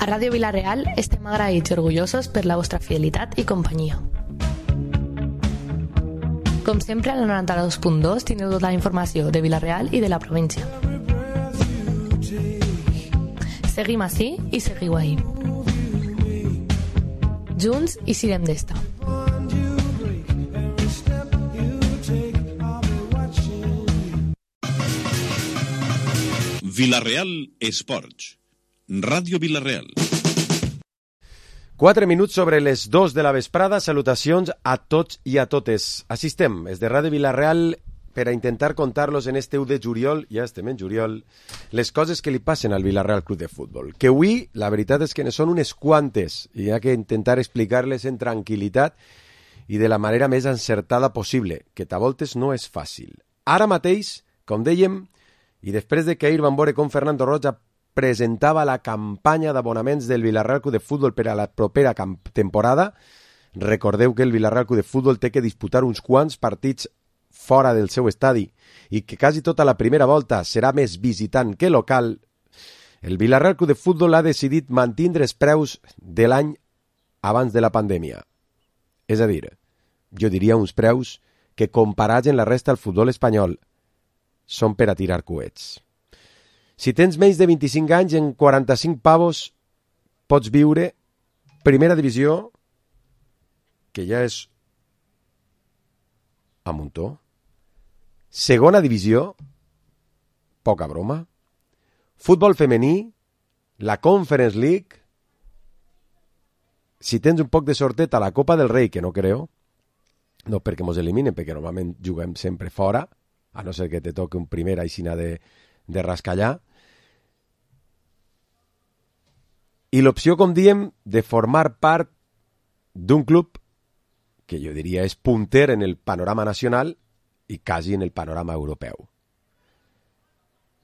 Ràdio Vila-real estem agraïts i orgullosos per la vostra fidelitat i companyia. Com sempre, a la 92.2 tindreu tota la informació de Vila-real i de la província. Seguim ací i seguiu ahí. Junts i sirem d'esta. Vila-real Esports. Ràdio Vila-real. 4 minuts sobre les 2 de la vesprada. Salutacions a tots i a totes. Així estem, des de Ràdio Vila-real, per a intentar contar-los en este 1 de juliol, ja estem en juliol, les coses que li passen al Vila-real Club de Futbol. Que avui, la veritat és que ne són unes quantes, i hi ha que intentar explicar-les en tranquil·litat i de la manera més encertada possible, que a voltes no és fàcil. Ara mateix, com dèiem, i després de que ahir vam veure com Fernando Roig presentava la campanya d'abonaments del Vila-real Club de Futbol per a la propera temporada, recordeu que el Vila-real Club de Futbol té que disputar uns quants partits fora del seu estadi i que quasi tota la primera volta serà més visitant que local. El Vila-real Club de Futbol ha decidit mantindre els preus de l'any abans de la pandèmia. És a dir, jo diria uns preus que comparats en la resta del futbol espanyol són per a tirar coets. Si tens menys de 25 anys, en 45 pavos pots viure primera divisió, que ja és a muntó, segona divisió, poca broma, futbol femení, la Conference League, si tens un poc de sortet a la Copa del Rei, que no creo, no perquè mos eliminen, perquè normalment juguem sempre fora, a no ser que te toque un primer aixina de rascallar. I l'opció, com diem, de formar part d'un club que jo diria és punter en el panorama nacional i quasi en el panorama europeu.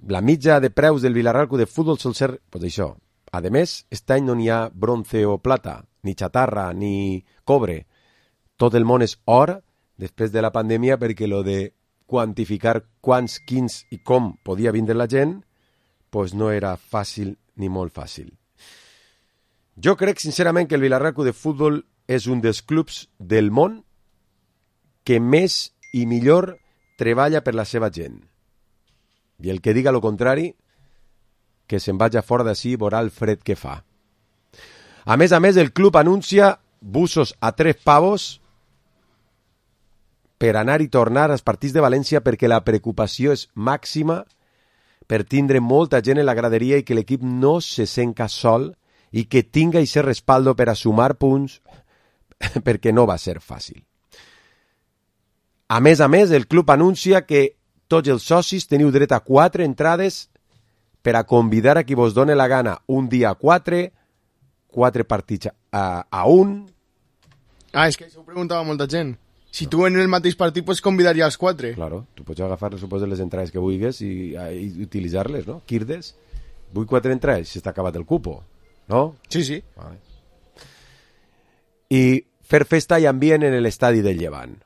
La mitja de preus del Vila-real Club de Futbol sol ser, pues això. A més, aquest any no n'hi ha bronce o plata, ni xatarra, ni cobre. Tot el món és or després de la pandèmia, perquè lo de quantificar quants, quins i com podia vindre la gent, pues no era fàcil ni molt fàcil. Jo crec sincerament que el Vila-real Club de Futbol és un dels clubs del món que més i millor treballa per la seva gent. I el que diga lo contrari, que se'n vaja fora d'ací i veurà el fred que fa. A més, el club anuncia busos a 3 pavos per anar i tornar als partits de València, perquè la preocupació és màxima per tindre molta gent en la graderia i que l'equip no se senca sol i que tinga i ser respaldo per a sumar punts, perquè no va ser fàcil. A més, el club anuncia que tots els socis teniu dret a 4 entrades per a convidar a qui vos doni la gana. Un dia a 4 partits a 1. És que això ho preguntava molta gent. Si tu en el mateix partit pots convidar ja els 4. Claro, tu pots agafar, suposo, les entrades que vulguis i utilitzar-les, no? Quirdes, vull 4 entrades, si està acabat el cupo, no? Sí. Vale. I fer festa i ambient en l'estadi del Llevant.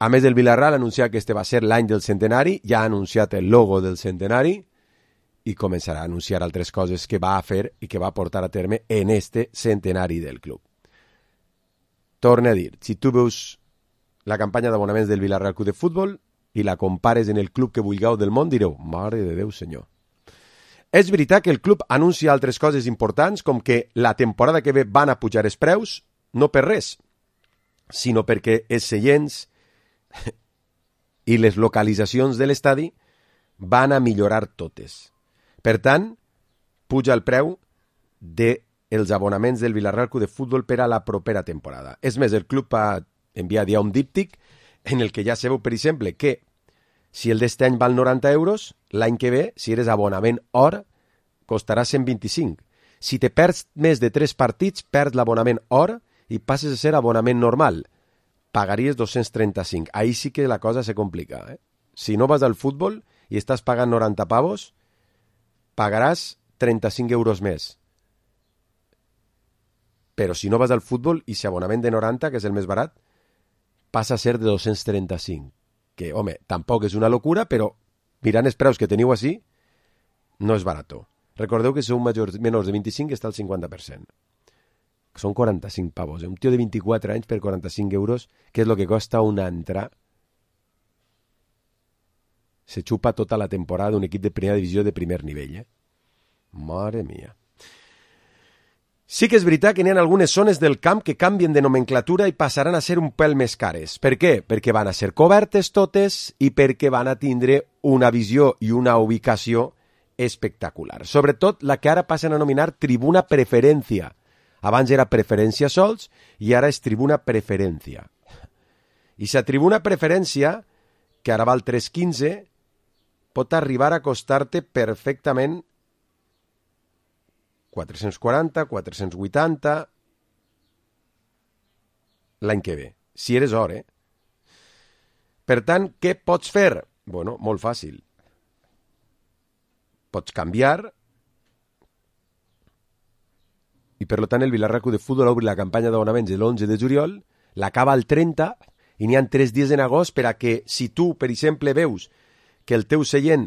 A més, el Vila-real ha anunciat que este va ser l'any del centenari, ja ha anunciat el logo del centenari i començarà a anunciar altres coses que va a fer i que va portar a terme en este centenari del club. Torne a dir, si tu veus la campanya d'abonaments del Vila-real Club de Futbol i la compares en el club que vulgueu del món, direu, mare de Déu, senyor. És veritat que el club anuncia altres coses importants, com que la temporada que ve van a pujar els preus, no per res, sinó perquè els seients i les localitzacions de l'estadi van a millorar totes. Per tant, puja el preu dels abonaments del Vila-real Club de Futbol per a la propera temporada. És més, el club ha enviat ja un díptic en el que ja sabeu, per exemple, que si el d'este any val 90 euros, l'any que ve, si eres abonament or, costarà 125. Si te perds més de 3 partits, perds l'abonament or i passes a ser abonament normal. Pagaries 235. Ahí sí que la cosa se complica. Si no vas al futbol i estàs pagant 90 pavos, pagaràs 35 euros més. Però si no vas al futbol i si abonament de 90, que és el més barat, passa a ser de 235. Que, home, tampoc és una locura, però mirant els preus que teniu així, no és barat. Recordeu que si sou menors de 25 està al 50%. Són 45 pavos. Un tio de 24 anys per 45 euros, que és el que costa una entrada, se xupa tota la temporada d'un equip de primera divisió de primer nivell. Mare mia. Sí que és veritat que n'hi ha algunes zones del camp que canvien de nomenclatura i passaran a ser un pèl més cares. Per què? Perquè van a ser cobertes totes i perquè van a tindre una visió i una ubicació espectacular. Sobretot la que ara passen a nominar tribuna preferència. Abans era preferència sols i ara és tribuna preferència. I la tribuna preferència, que ara val 3,15, pot arribar a costar-te perfectament 440, 480 l'any que ve, si eres or, Per tant, què pots fer? Bueno, molt fàcil. Pots canviar i, per tant, el Vilarreal Club de Futbol obri la campanya d'abonaments l'11 de juliol, l'acaba el 30 i n'hi ha 3 dies en agost per a que, si tu, per exemple, veus que el teu seient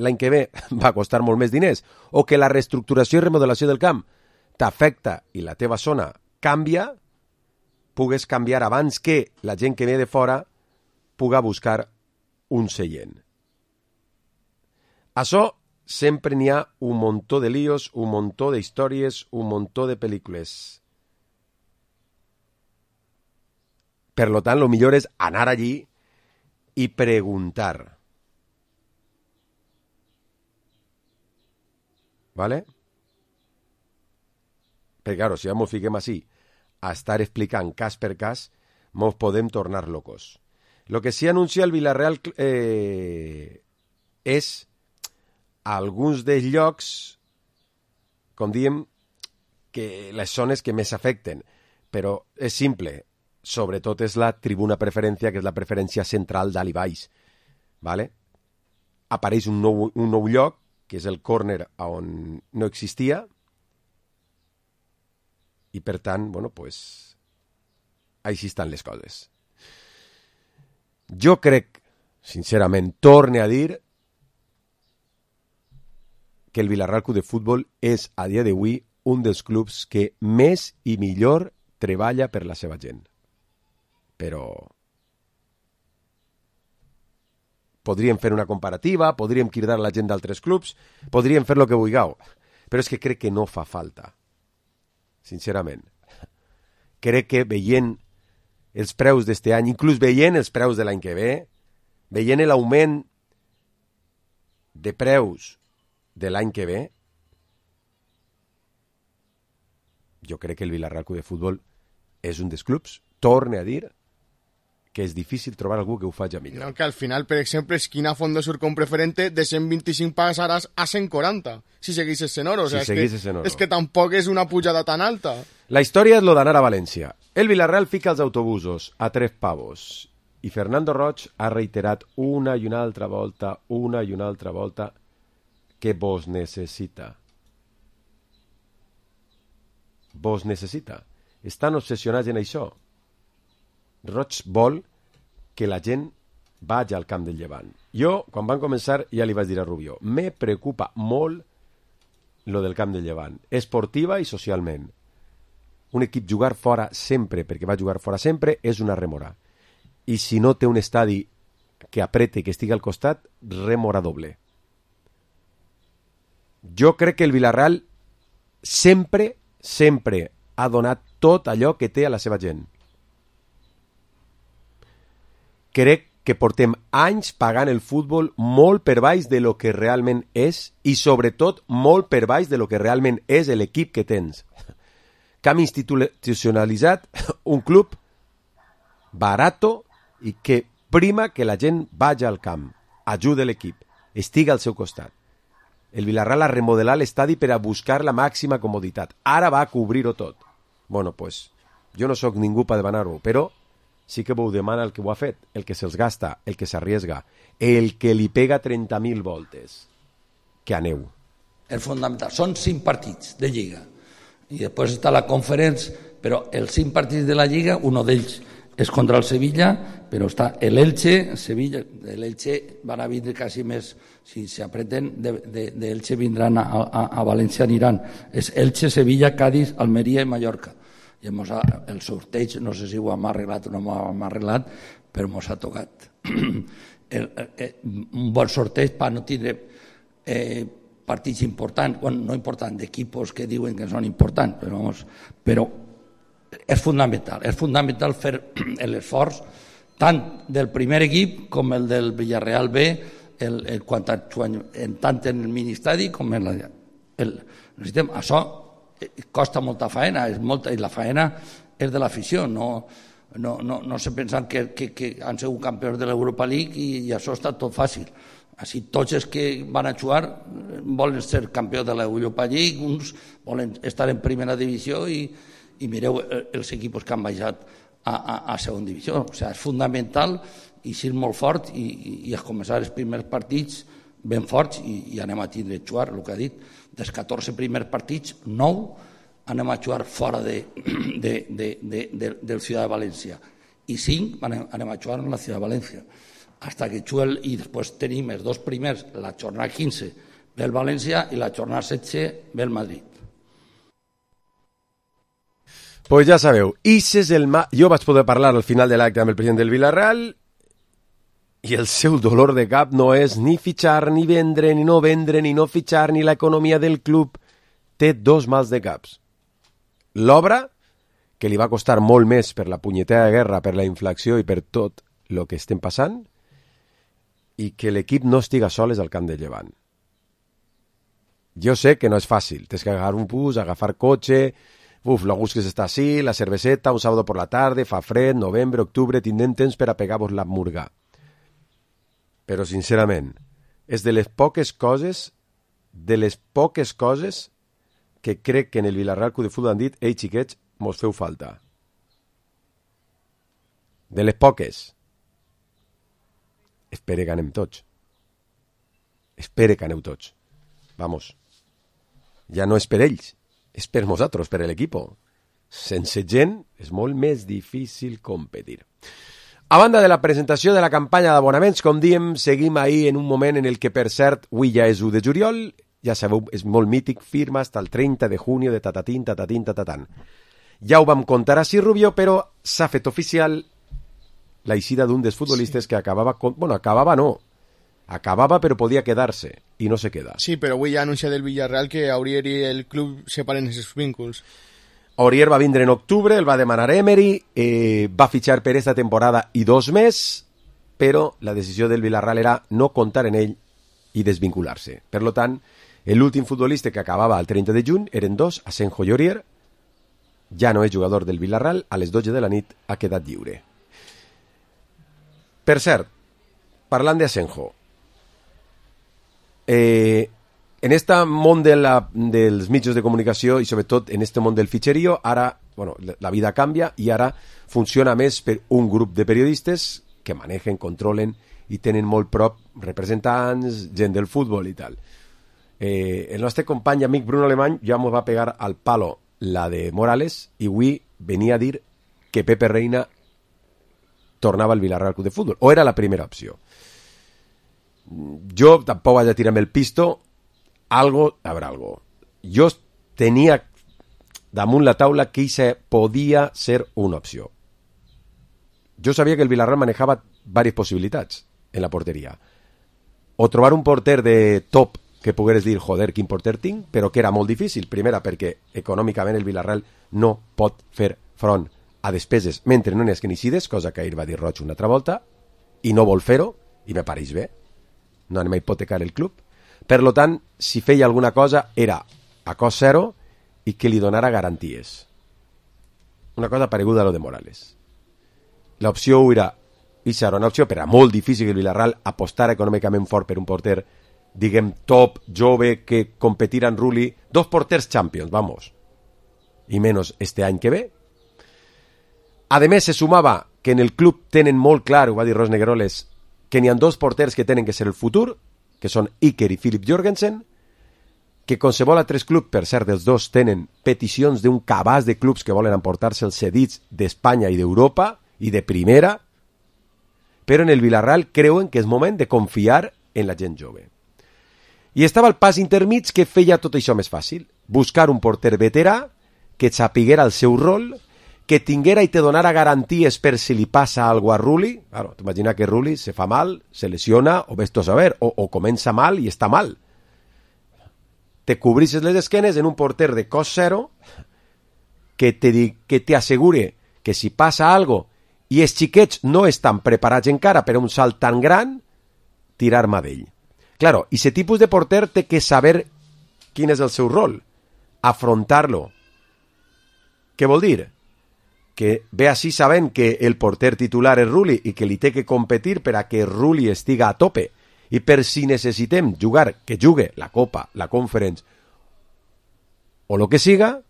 l'any que ve va costar molt més diners o que la reestructuració i remodelació del camp t'afecta i la teva zona canvia, pugues canviar abans que la gent que ve de fora puga buscar un seient. Això sempre n'hi ha un muntó de líos, un muntó d'històries, un muntó de pel·lícules. Per tant, el millor és anar allí i preguntar. ¿Vale? Perquè, claro, si ja ens fiquem així a estar explicant cas per cas, ens podem tornar locos. Lo que sí anuncia el Villarreal és alguns dels llocs, com diem, que les zones que més afecten. Però és simple. Sobretot és la tribuna preferència, que és la preferència central dalt i baix. ¿Vale? Apareix un nou lloc, que és el córner on no existia, i per tant, bueno, pues, així estan les coses. Jo crec, sincerament, torne a dir que el Vilarreal Club de Futbol és, a dia d'avui, un dels clubs que més i millor treballa per la seva gent. Però podríem fer una comparativa, podríem cridar la gent d'altres clubs, podríem fer el que vulgueu, però és que crec que no fa falta, sincerament. Crec que veient els preus d'este any, inclús veient els preus de l'any que ve, veient l'augment de preus de l'any que ve, jo crec que el Vilarreal Club de Futbol és un dels clubs, torne a dir, que és difícil trobar algú que ho faci millor. No, que al final, per exemple, Esquina Fondo Sur com preferente de 125 passaràs a 140, si seguisses en oro. És que tampoc és una pujada tan alta. La història és lo d'anar a València. El Villarreal fica els autobusos a 3 pavos i Fernando Roig ha reiterat una i una altra volta que vos necessita. Vos necessita. Estan obsessionats en això. Roig vol que la gent vagi al camp del Llevant. Jo, quan van començar, ja li vaig dir a Rubió, me preocupa molt lo del camp del Llevant, esportiva i socialment. Un equip jugar fora sempre, perquè va jugar fora sempre, és una remora. I si no té un estadi que aprete i que estigui al costat, remora doble. Jo crec que el Villarreal sempre ha donat tot allò que té a la seva gent. Crec que portem anys pagant el futbol molt per baix de lo que realment és i sobretot molt per baix de lo que realment és l'equip que tens. Que hem institucionalitzat un club barato i que prima que la gent vagi al camp, ajuda l'equip, estigui al seu costat. El Villarreal ha remodelat l'estadi per a buscar la màxima comoditat. Ara va a cobrir-ho tot. Bueno, pues, jo no sóc ningú per demanar-ho, però sí que vos demana el que ho ha fet, el que se'ls gasta, el que s'arriesga, el que li pega 30.000 voltes. Que aneu. És fonamental. Són 5 partits de Lliga. I després està la Conference, però els 5 partits de la Lliga, un d'ells és contra el Sevilla, però està l'Elche, Sevilla, l'Elche van a vindre quasi més, si s'apreten, d'Elche vindran a València, aniran. És Elche, Sevilla, Cádiz, Almeria i Mallorca. I el sorteig, no sé si ho hem arreglat o no ho hem arreglat, però mos ha tocat. Un bon sorteig per no tindre partits importants, bueno, no importants, d'equipos que diuen que són importants, però és fundamental fer l'esforç tant del primer equip com el del Villarreal B, tant en el mini-estadi com en necessitem. Això costa molta faena, i la faena és de l'afició, no se pensen que han sigut campions de l'Europa League i això està tot fàcil. Així, tots els que van a jugar volen ser campió de l'Europa League, uns volen estar en primera divisió i mireu els equips que han baixat a segona divisió. O sigui, és fundamental i ser molt fort i començar els primers partits ben forts i anem a tindre jugar, el que ha dit. Dels 14 primers partits, 9 anem a jugar fora del Ciudad de València i 5 anem a jugar en la Ciudad de València. Hasta que juguem, i després tenim els dos primers, la jornada 15 ve el València i la jornada 16 ve el Madrid. Pues ja sabeu, jo vaig poder parlar al final de l'acte amb el president del Villarreal i el seu dolor de cap no és ni fitxar, ni vendre, ni no vendre, ni no fitxar, ni l'economia del club. Té dos mals de caps. L'obra, que li va costar molt més per la punyetera guerra, per la inflació i per tot el que estem passant, i que l'equip no estiga soles al camp de Llevant. Jo sé que no és fàcil, tens que agafar un bus, agafar cotxe, l'August que s'està així, la cerveseta, un sábado por la tarde, fa fred, novembre, octubre, tindrem temps per a pegar-vos la murga. Però, sincerament, és de les poques coses que crec que en el Villarreal Club de Futbol han dit «Ei, xiquets, mos feu falta». De les poques. Espere que anem tots. Espere que aneu tots. Vamos. Ja no és per ells, és per nosaltres, per l'equip. Sense gent és molt més difícil competir. A banda de la presentació de la campanya d'abonaments, com diem, seguim ahir en un moment en el que, per cert, avui ja és 1 de juliol, ja sabeu, és molt mític, firma hasta el 30 de junio de tatatín, tatatín, tatatán. Ja ho vam contar a Rubio, però s'ha fet oficial la eixida d'un dels futbolistes que acabava però podia quedar-se i no se queda. Sí, però avui ja ha anunciat el Villarreal que Aurier i el club separen els vínculs. Aurier va vindre en octubre, el va demanar Emery, va fitxar per esta temporada i 2 més, però la decisió del Villarreal era no comptar en ell i desvincular-se. Per tant, l'últim futbolista que acabava el 30 de juny eren 2, Asenjo i Aurier. Ja no és jugador del Villarreal, a les 12 de la nit ha quedat lliure. Per cert, parlant d'Asenjo, en este món dels mitjans de comunicació i sobretot en este món del fitxerío, ara la vida canvia i ara funciona més per un grup de periodistes que manegen, controlen i tenen molt prop representants, gent del futbol i tal. El nostre company amic Bruno Alemany ja ens va pegar al palo la de Morales i avui venia a dir que Pepe Reina tornava al Villarreal Club de Futbol, o era la primera opció. Jo tampoc vaig a tirar-me el pisto, habrá algo. Jo tenia damunt la taula que esa podia ser una opció. Jo sabia que el Villarreal manejava diverses possibilitats en la porteria. O trobar un porter de top que pogueres dir, joder, quin porter tinc, però que era molt difícil. Primera, perquè econòmicament el Villarreal no pot fer front a despeses mentre no n'hi hagi inicides, cosa que ahir va dir Roig una altra volta, i no vol fer-ho, i me pareix bé. No anem a hipotecar el club. Per tant, si feia alguna cosa era a cost zero i que li donara garanties. Una cosa pareguda a lo de Morales. L'opció era, i serà una opció, però era molt difícil que el Villarreal apostara econòmicament fort per un porter, diguem, top, jove, que competirà en Rulli. 2 porters champions, vamos. I menys este any que ve. A més, se sumava que en el club tenen molt clar, ho va dir Ros Negueroles, que n'hi ha 2 porters que tenen que ser el futur, que són Iker i Philip Jorgensen, que qualsevol altres club, per cert, dels dos tenen peticions d'un cabàs de clubs que volen emportar-se els cedits d'Espanya i d'Europa, i de primera, però en el Villarreal creuen que és moment de confiar en la gent jove. I estava el pas intermig que feia tot això més fàcil. Buscar un porter veterà que sapiguera el seu rol, que tinguera i te donara garanties per si li passa alguna cosa a Rulli. Claro, t'imagina que Rulli se fa mal, se lesiona, o ves tu a saber, o comença mal i està mal. Te cobrisses les esquenes en un porter de cos zero que te assegure que si passa algo i els xiquets no estan preparats encara per a un salt tan gran, tirar mà d'ell. Claro, i aquest tipus de porter té que saber quin és el seu rol, afrontar-lo. Què vol dir? Que ve així sabent que el porter titular és Rulli i que li té que competir per a que Rulli estiga a tope. I per si necessitem jugar, que jugue la Copa, la Conference o el que siga,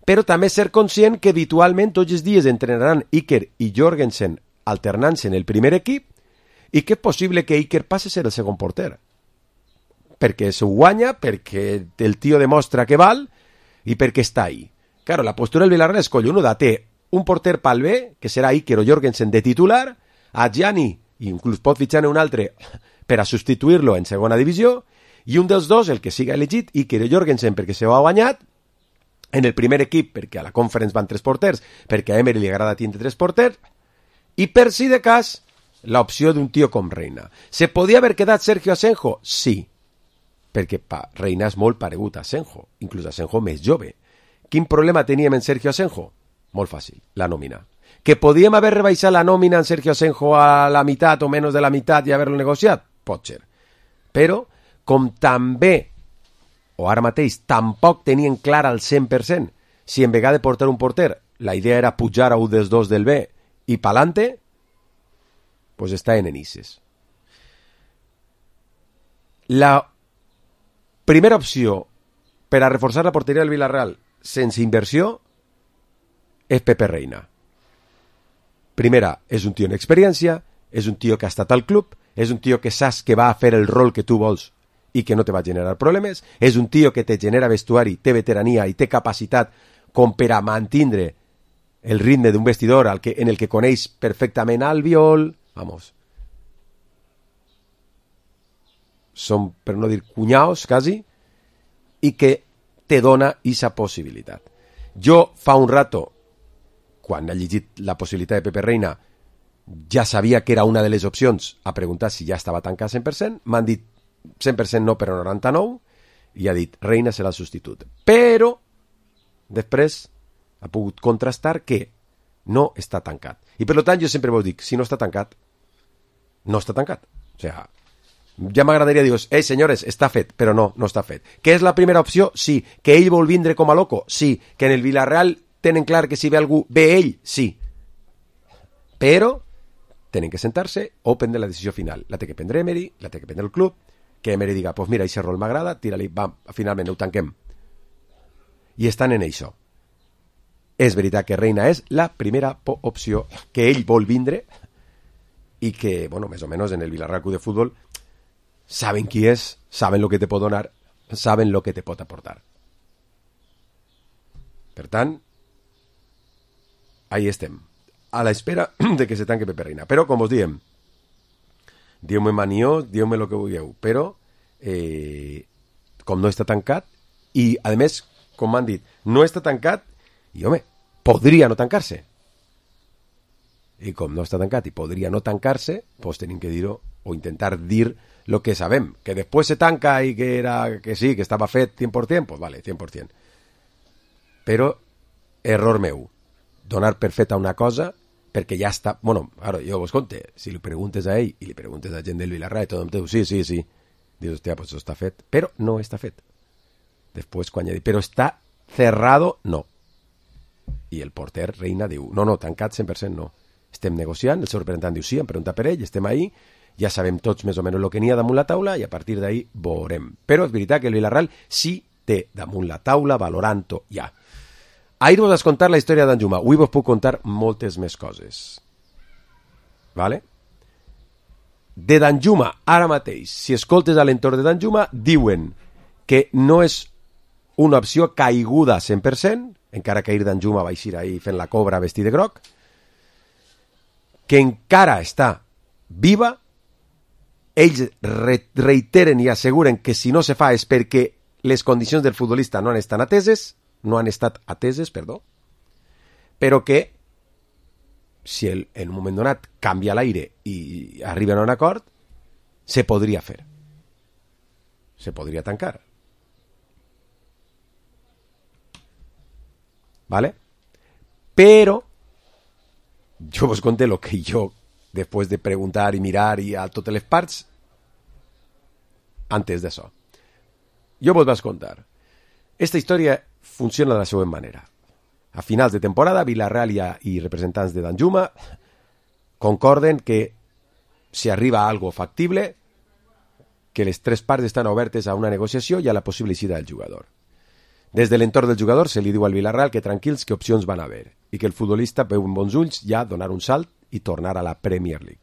però també ser conscient que habitualment tots els dies entrenaran Iker i Jorgensen alternant-se en el primer equip i que és possible que Iker passi a ser el segon porter. Perquè s'ho guanya, perquè el tio demostra que val i perquè està ahí. Claro, la postura del Villarreal és collonuda. Té un porter pel B, que serà Iker o Jorgensen de titular, a Gianni, i inclús pot fitxar un altre per a substituir-lo en segona divisió, i un dels dos, el que siga elegit, Iker o Jorgensen perquè se ho ha guanyat, en el primer equip, perquè a la Conference van 3 porters, perquè a Emery li agrada tindre 3 porters, i per si de cas, l'opció d'un tio com Reina. Se podia haver quedat Sergio Asenjo? Sí, perquè Reina és molt paregut a Asenjo, inclús Asenjo més jove. Quin problema teníem en Sergio Asenjo? Molt fàcil, la nòmina. Que podíem haver rebaixat la nòmina en Sergio Asenjo a la meitat o menys de la meitat i haver-lo negociat? Pot ser. Però, com també, o ara mateix, tampoc tenien clar al 100% si en vegada de portar un porter la idea era pujar a un dels dos del B i pa'lante, pues està en enices. La primera opció per a reforçar la porteria del Villarreal sense inversió és Pepe Reina. Primera, és un tio en experiència, és un tio que ha estat al club, és un tio que saps que va a fer el rol que tu vols i que no te va generar problemes, és un tio que te genera vestuari, té veterania i té capacitat com per a mantindre el ritme d'un vestidor en el que coneix perfectament Albiol, vamos, són, per no dir cunyaos, quasi, i que te dona aquesta possibilitat. Jo fa un rato, quan he llegit la possibilitat de Pepe Reina, ja sabia que era una de les opcions a preguntar si ja estava tancat 100%, m'han dit 100% no, però 99%, i ha dit Reina serà el substitut. Però després ha pogut contrastar que no està tancat. I per tant jo sempre vos dic, si no està tancat, no està tancat. O sigui, ja m'agradaria dir, senyores, està fet, però no està fet. Que és la primera opció? Sí. Que ell vol vindre com a loco? Sí. Que en el Villarreal tenen clar que si ve algú, ve ell? Sí. Però tenen que sentar-se o prendre la decisió final. La té que prendre Emery, la té que prendre el club, que Emery diga, pues mira, aquest rol m'agrada, tira-li, va, finalment ho tanquem. I estan en això. És veritat que Reina és la primera opció, que ell vol vindre i que, bueno, més o menys en el Villarreal Club de Futbol saben qui és, saben el que te pot donar, saben el que te pot aportar. Per tant, ahí estem, a la espera de que se tanque Pepe Reina. Però, com us diem, dieu-me maniós, dieu-me el que vulgueu, però com no està tancat, i a més, com m'han dit, no està tancat, i home, podria no tancar-se. I com no està tancat i podria no tancar-se, doncs tenim que dir-ho, o intentar dir lo que sabem, que després se tanca i que sí, que estava fet 100%, pues vale, 100%. Però, error meu, donar per feta una cosa perquè ja està... Bueno, ara, jo vos conte, si li preguntes a ell i li preguntes a gent del Villarreal, tothom te diu, sí. Dius, hòstia, pues això està fet. Però no està fet. Després, quan ja dic, però està cerrado, no. I el porter Reina diu, no, tancat 100% no. Estem negociant, el seu representant diu, sí, em pregunta per ell, estem ahí, ja sabem tots més o menys el que n'hi ha damunt la taula i a partir d'ahí veurem. Però és veritat que el Villarreal sí té damunt la taula, valorant-ho ja. Ahir vos has contar la història d'Anjuma. Avui vos puc contar moltes més coses. Vale? De Danjuma, ara mateix, si escoltes a l'entorn de Danjuma, diuen que no és una opció caiguda 100%, encara que ahir Danjuma va eixir ahir fent la cobra vestit de groc, que encara està viva, ells reiteren i asseguren que si no se fa és perquè les condicions del futbolista no han estat ateses, però que si en un moment donat canvia l'aire i arriben a un acord, se podria fer. Se podria tancar. ¿Vale? Pero yo vos conté lo que yo, después de preguntar y mirar y a totes les parts, antes d'això. Jo vos vaig contar. Esta història funciona de la següent manera. A finals de temporada, Villarreal i representants de Danjuma concorden que si arriba a algo factible, que les tres parts estan obertes a una negociació i a la possible eixida del jugador. Des de l'entorn del jugador se li diu al Villarreal que tranquils, que opcions van haver i que el futbolista veu amb bons ulls ja donar un salt i tornar a la Premier League.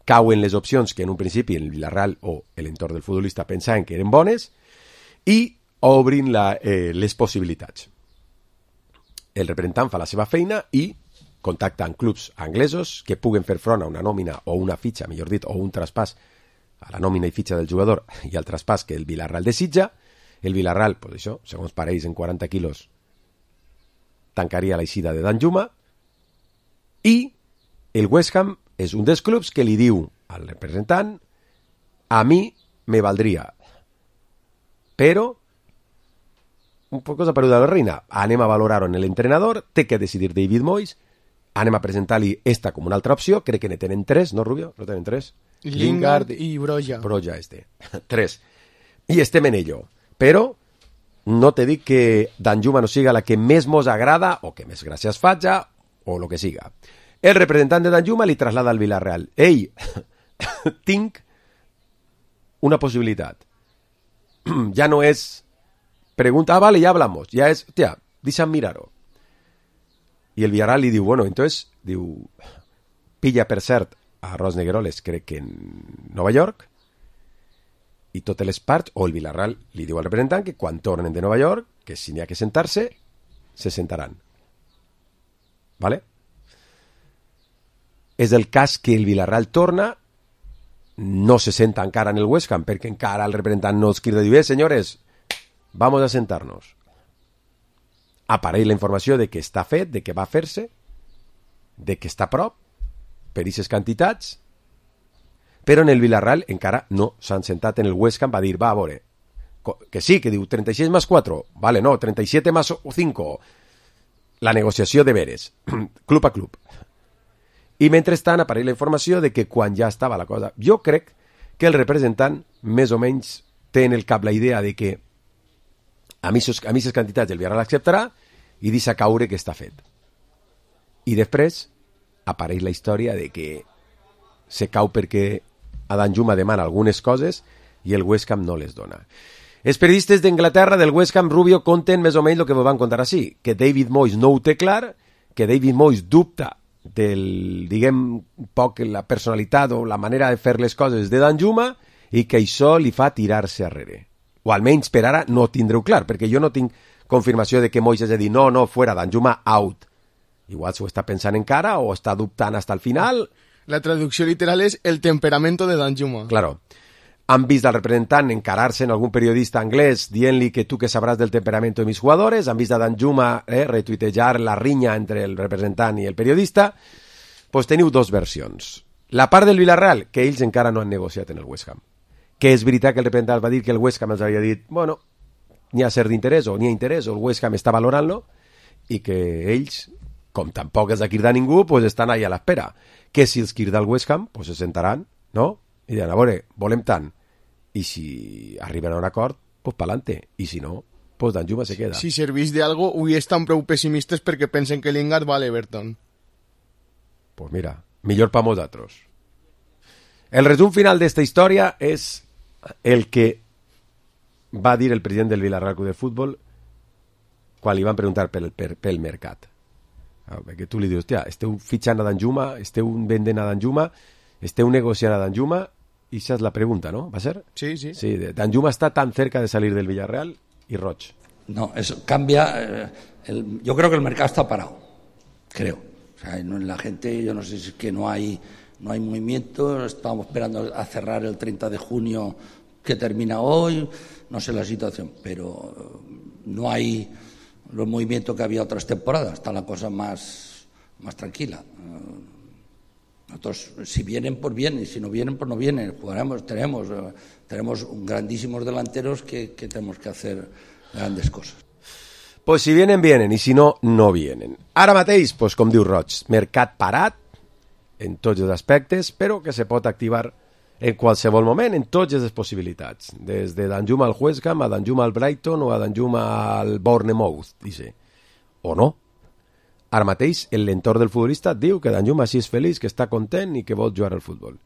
Cauen les opcions que en un principi el Villarreal o l'entorn del futbolista pensaven que eren bones i obrin les possibilitats. El representant fa la seva feina i contacta amb clubs anglesos que puguen fer front a una nòmina o una fitxa, millor dit, o un traspàs a la nòmina i fitxa del jugador i al traspàs que el Villarreal desitja. El Villarreal, pues això, segons pareix, en 40 quilos tancaria l'eixida de Danjuma i el West Ham és un dels clubs que li diu al representant: a mi me valdria, però un poc cosa peruda de la reina, anem a valorar-ho en l'entrenador, té que decidir David Moyes, anem a presentar-li esta com una altra opció, crec que ne tenen 3, no, Rubio? No tenen 3? Lingard i Broja. Broja, 3. I estem en ello. Però no te dic que Danjuma no siga la que més mos agrada o que més gràcies faja o el que siga. El representant de Danjuma li traslada al Villarreal: ei, tinc una possibilitat. Ja no és pregunta, vale, ya hablamos, ya es, hostia, deixa'm mirar-ho. I el Villarreal li diu, bueno, entonces, diu, pilla per cert a Ros Negueroles, crec que en Nova York, i totes les parts, o el Villarreal li diu al representant que quan tornen de Nova York, que si n'hi ha que sentar-se, se sentaran. ¿Vale? És el cas que el Villarreal torna, no se senta encara en el West Ham, perquè encara el representant no els crida i diu, senyores, vamos a sentar-nos. Apareix la informació de que està fet, de que va fer-se, de que està a prop, per aquestes quantitats, però en el Villarreal encara no s'han sentat en el West Ham, va dir, va, a veure, que sí, que diu 36 más 4, vale, no, 37 más 5, la negociació de veres, club a club. I mentrestant apareix la informació de que quan ja estava la cosa, jo crec que el representant més o menys té en el cap la idea de que a mi aquestes quantitats el Villarreal acceptarà i deixa caure que està fet. I després apareix la història de que se cau perquè a Danjuma demana algunes coses i el West Ham no les dona. Els periodistes d'Anglaterra del West Ham, Rubio, conten més o menys el que vos van contar així, que David Moyes no ho té clar, que David Moyes dubta del, diguem, poc la personalitat o la manera de fer les coses de Danjuma i que això li fa tirar-se arrere. O almenys per ara no tindreu clar, perquè jo no tinc confirmació de que Moyes hagi dit no, fuera, Danjuma out. Igual s'ho està pensant encara o està dubtant hasta el final. La traducció literal és el temperamento de Danjuma. Claro. Han vist al representant encarar-se en algun periodista anglès dient-li que tu que sabràs del temperamento de mis jugadores, han vist a Danjuma retuitejar la rinya entre el representant i el periodista. Pues teniu dos versions. La part del Villarreal, que ells encara no han negociat en el West Ham. Que és veritat que el representant va dir que el West Ham els havia dit, bueno, n'hi ha cert d'interès o n'hi ha interès, o el West Ham està valorant-lo, i que ells, com tampoc els ha cridat ningú, pues estan ahí a l'espera. Que si els crida el West Ham, pues se sentaran, no? I diran, a veure, volem tant. I si arriben a un acord, pues pa'lante. I si no, pues Danjuma se queda. Si servís de algo, avui estan prou pessimistes perquè pensen que Lingard va a l'Everton. Pues mira, millor pa nosaltres. El resum final d'esta història és el que va dir el president del Villarreal Club de Futbol quan li van preguntar pel mercat. Perquè tu li dius, hòstia, esteu fitxant a Danjuma, esteu vendent a Danjuma, esteu negociant a Danjuma, i esa és la pregunta, ¿no? ¿Va a ser? Sí, sí. Sí, Danjuma está tan cerca de salir del Villarreal y Roch. No, eso cambia. Yo creo que el mercado está parado, creo. O sea, la gente, yo no sé si es que no hay movimiento, estamos esperando a cerrar el 30 de junio que termina hoy, no sé la situación, pero no hay los movimientos que había otras temporadas, está la cosa más tranquila. Nosotros, si vienen, pues vienen, y si no vienen, pues no vienen. Jugaremos, tenemos grandísimos delanteros que tenemos que hacer grandes cosas. Pues si vienen, vienen, i si no, no vienen. Ara mateix, pues, com diu Roig, mercat parat en tots els aspectes, però que se pot activar en qualsevol moment, en totes les possibilitats. Des de Danjuma al West Ham, a Danjuma al Brighton o a Danjuma al Bournemouth, dice. O no. Ara mateix, l'entorn del futbolista diu que Danjuma sí és feliç, que està content i que vol jugar al futbol.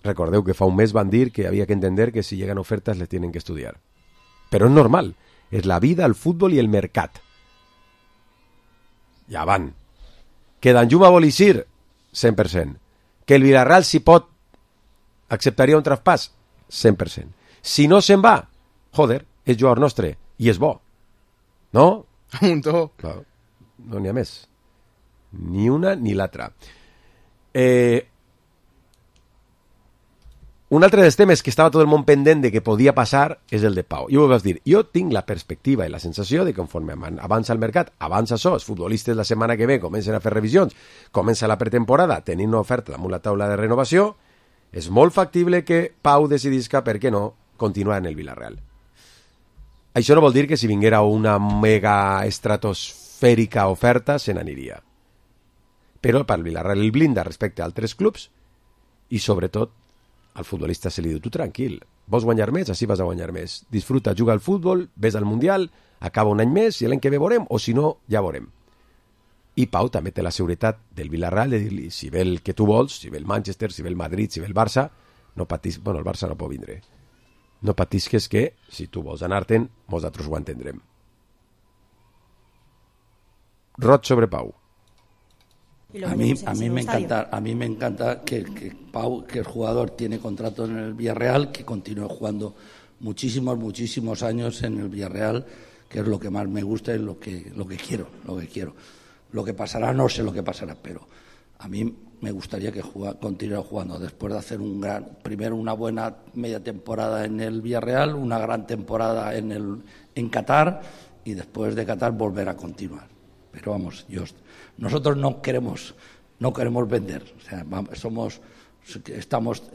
Recordeu que fa un mes van dir que havia que entender que si llegan ofertas les tienen que estudiar. Però és normal. És la vida, el futbol i el mercat. Ja van. Que Danjuma vol eixir? 100%. Que el Villarreal, si pot, acceptaria un traspàs? 100%. Si no se'n va, joder, és jugador nostre i és bo. No? Amuntó. Clar, no n'hi ha més. Ni una ni l'altra. Un altre dels temes que estava tot el món pendent de que podia passar és el de Pau. I ho vas dir, jo tinc la perspectiva i la sensació de que conforme avança el mercat, avança això, els futbolistes la setmana que ve comencen a fer revisions, comença la pretemporada, tenint una oferta damunt la taula de renovació, és molt factible que Pau decidisca, per què no, continuar en el Villarreal. Això no vol dir que si vinguera una mega estratosfèrica oferta se n'aniria. Però per el Villarreal el blinda respecte a altres clubs i sobretot al futbolista se li diu, tu tranquil, vols guanyar més, així vas a guanyar més. Disfruta, juga al futbol, ves al Mundial, acaba un any més i l'any que ve veurem, o si no, ja veurem. I Pau també té la seguretat del Villarreal de dir-li, si ve el que tu vols, si ve el Manchester, si ve el Madrid, si ve el Barça, no patis, bueno, el Barça no pot vindre. No patisques que, si tu vols anar-te'n, nosaltres ho entendrem. Rot sobre Pau. A mí me encanta que Pau, que el jugador tiene contrato en el Villarreal, que continúe jugando muchísimos años en el Villarreal, que es lo que más me gusta y lo que quiero. Lo que pasará, no sé lo que pasará, pero a mí me gustaría que continuara jugando después de hacer primero una buena media temporada en el Villarreal, una gran temporada en Qatar y después de Qatar volver a continuar. Pero vamos, nosotros no queremos vender, o sea,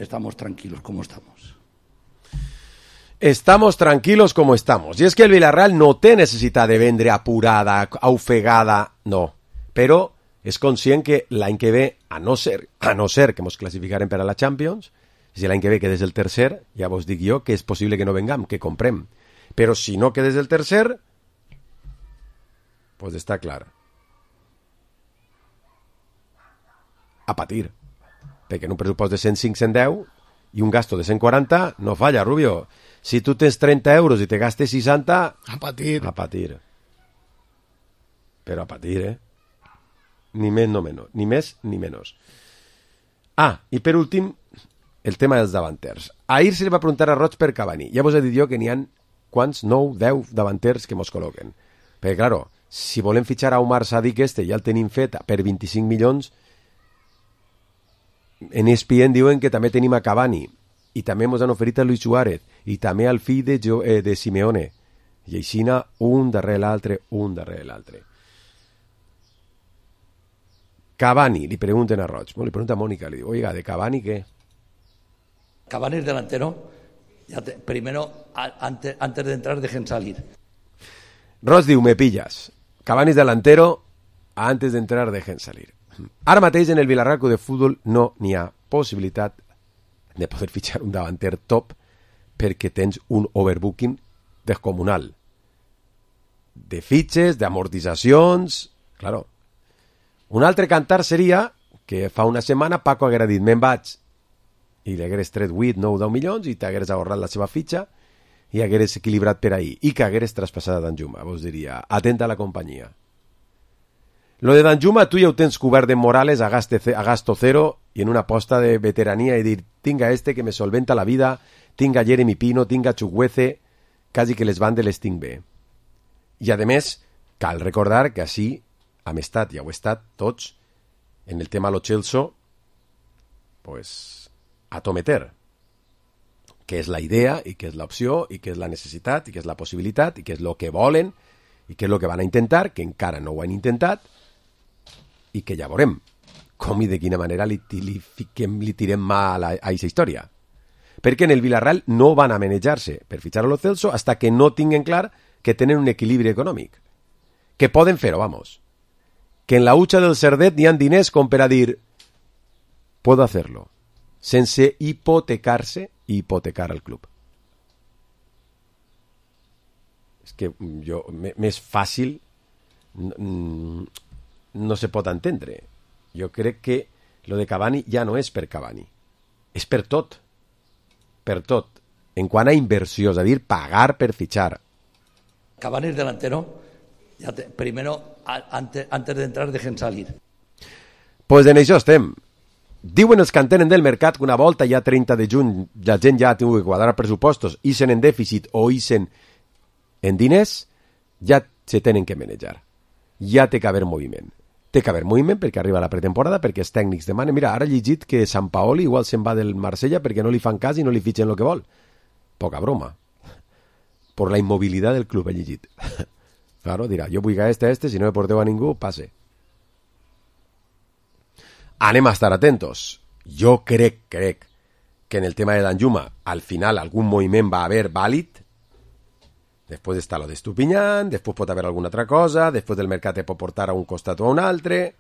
estamos tranquilos como estamos. Estamos tranquilos como estamos. I és que el Villarreal no té necessitat de vendre apurada, ofegada, no. Però és conscient que l'any que ve, a no ser que ens classificarem per a la Champions, si l'any que ve quedes el tercer, ja vos dic jo que és possible que no vengam, que comprem. Però si no quedes el tercer, pues està clar. A patir. Perquè en un pressupost de 105-110 i un gasto de 140 no falla, Rubio. Si tu tens 30 euros i te gastes 60... A patir. A patir. Però a patir, Ni més no menys. Ni més ni menys. Ah, i per últim, el tema dels davanters. Ahir se li va preguntar a Roig per Cavani. Ja vos he dit jo que n'hi ha quants? 9, 10 davanters que mos col·loquen. Perquè, claro, si volem fitxar a Omar Sadik ja el tenim fet per 25 milions, en ESPN diuen que també tenim a Cavani i també ens han oferit a Luis Suárez i també al fill de Simeone i aixina un darrere l'altre. Cavani, li pregunten a Roig, li pregunta a Mónica, li diu, oiga, ¿de Cavani qué? Cavani es delantero, primero, antes de entrar, dejen salir. Roig diu, me pillas, Cavani es delantero, antes de entrar, dejen salir. Ara mateix en el Villarreal Club de Futbol no n'hi ha possibilitat de poder fitxar un davanter top perquè tens un overbooking descomunal de fitxes, d'amortitzacions, claro. Un altre cantar seria que fa una setmana Paco haguera dit me'n vaig i li hagueres tret 8, 9, 10 milions i t'hagueres ahorrat la seva fitxa i hagueres equilibrat per ahir i que hagueres traspassat a Danjuma. Vos diria, atenta a la companyia. Lo de Danjuma tu ja ho tens cobert de Morales a gasto cero i en una aposta de veterania i dir, tinga que me solventa la vida, tinga Jeremy Pino, tinga Chukwueze, quasi que les bandes les tinc bé. I a més, cal recordar que així hem estat, ja ho he estat, tots, en el tema Lo Celso, pues, a tometer, que és la idea, i que és l'opció, i que és la necessitat, i que és la possibilitat, i que és el que volen, i que és el que van a intentar, que encara no ho han intentat, i que ja veurem com i de quina manera li tirem mà a aquesta història. Perquè en el Villarreal no van a manejar-se per fitxar a Lo Celso hasta que no tinguen clar que tenen un equilibri econòmic. Que poden fer-ho, vamos. Que en la hucha del Cerdet n'hi ha diners com per a dir puedo hacerlo, sense hipotecar-se i hipotecar al club. És que jo, més fàcil no se pot entendre. Jo crec que lo de Cavani ja no és per Cavani, és per tot. Per tot. En quant a inversió, és a dir, pagar per fitxar. Cavani es delantero, primero, antes de entrar, dejen salir. Pues en això estem. Diuen els que entenen del mercat que una volta ja 30 de juny la gent ja ha tingut que quadrar pressupostos, ixen en dèficit o ixen en diners, ja se tenen que manejar. Ja té que haver moviment. Té que haver moviment perquè arriba la pretemporada, perquè els tècnics demanen. Mira, ara he llegit que Sant Paoli igual se'n va del Marsella perquè no li fan cas i no li fitxen el que vol. Poca broma. Por la inmovilidad del club he llegit. Claro, dirà, jo vull a este, si no me porteu a ningú, passe. Anem a estar atentos. Jo crec que en el tema de Danjuma al final algun moviment va haver vàlid. Després està lo d'Estupiñán, després pot haver alguna altra cosa, després del mercat pot portar a un costat o a un altre,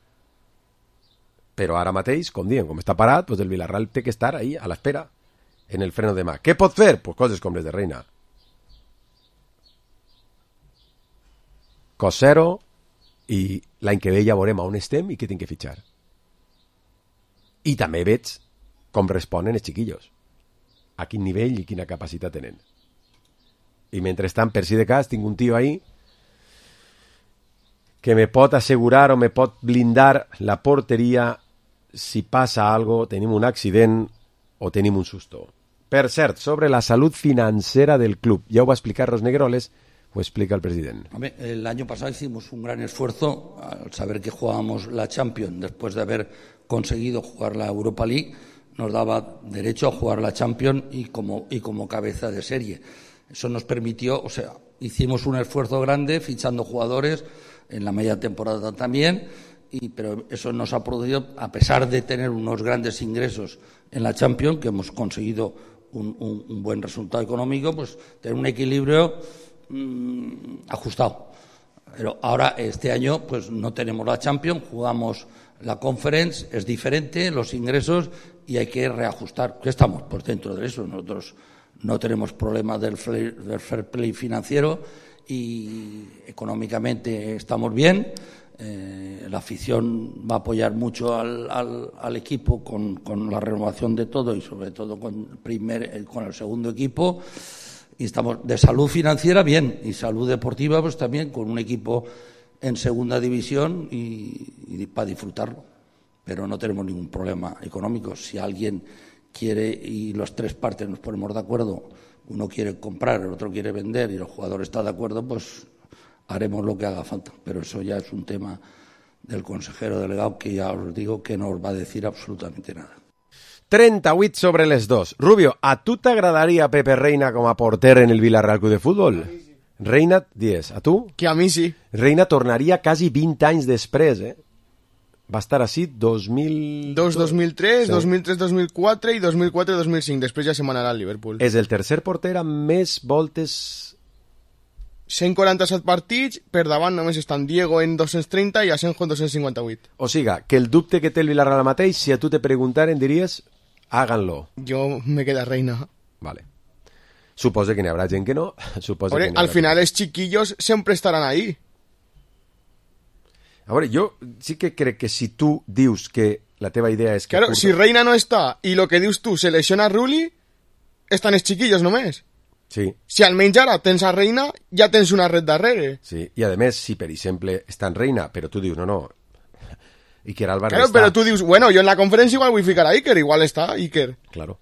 però ara mateix, com diuen, com està parat, pues el Villarreal té que estar ahí, a l'espera, en el freno de mà. Què pot fer? Pues coses com les de Reina. Cost zero, i l'any que ve ja veurem on estem i què tinc que fitxar. I també veig com responen els xiquillos, a quin nivell i quina capacitat tenen. I mentrestant, per si de cas, tinc un tio ahí que me pot assegurar o me pot blindar la porteria si passa algo, tenim un accident o tenim un susto. Per cert, sobre la salut financera del club, ya va a explicar los Negroles, o explica el presidente. Hombre, el año pasado hicimos un gran esfuerzo al saber que jugábamos la Champions después de haber conseguido jugar la Europa League, nos daba derecho a jugar la Champions y como cabeza de serie. Eso nos permitió, o sea, hicimos un esfuerzo grande fichando jugadores en la media temporada también, pero eso nos ha producido, a pesar de tener unos grandes ingresos en la Champions, que hemos conseguido un buen resultado económico, pues tener un equilibrio ajustado. Pero ahora, este año, pues no tenemos la Champions, jugamos la Conference, es diferente los ingresos y hay que reajustar. Estamos por dentro de eso. Nosotros no tenemos problemas del fair play financiero y económicamente estamos bien. La afición va a apoyar mucho al equipo con la renovación de todo y sobre todo con el segundo equipo. Y estamos de salud financiera bien y salud deportiva pues también con un equipo en segunda división y para disfrutarlo. Pero no tenemos ningún problema económico. Si alguien quiere y las tres partes nos ponemos de acuerdo, uno quiere comprar, el otro quiere vender y el jugador está de acuerdo, pues haremos lo que haga falta. Pero eso ya es un tema del consejero delegado que ya os digo que no os va a decir absolutamente nada. 38 sobre les 2. Rubio, a tu t'agradaria Pepe Reina com a porter en el Villarreal Club de Futbol? Sí. Reina, 10. A tu? Que a mi sí. Reina tornaria quasi 20 anys després, Va estar així 2003, sí. 2003-2004 i 2004-2005. Després ja se m'anarà al Liverpool. És el tercer porter amb més voltes... 147 partits, per davant només estan Diego en 230 i Asenjo en 258. O siga, que el dubte que té el Villarreal mateix, si a tu te preguntaren, diries, háganlo. Jo me queda Reina. Vale. Suposo que n'hi haurà gent que no. Oye, al final els chiquillos sempre estaran ahí. A veure, jo sí que crec que si tu dius que la teva idea és que... Claro, si Reina no està i lo que dius tu se lesiona Rulli, estan els chiquillos només. Sí. Si almenys ara tens a Reina, ja tens una red darrere. Sí, i a més, si per exemple està en Reina, però tu dius, no, Iker Álvarez claro, está... pero tú dices, bueno, yo en la conferencia igual voy a ficar a Iker, igual está Iker. Claro,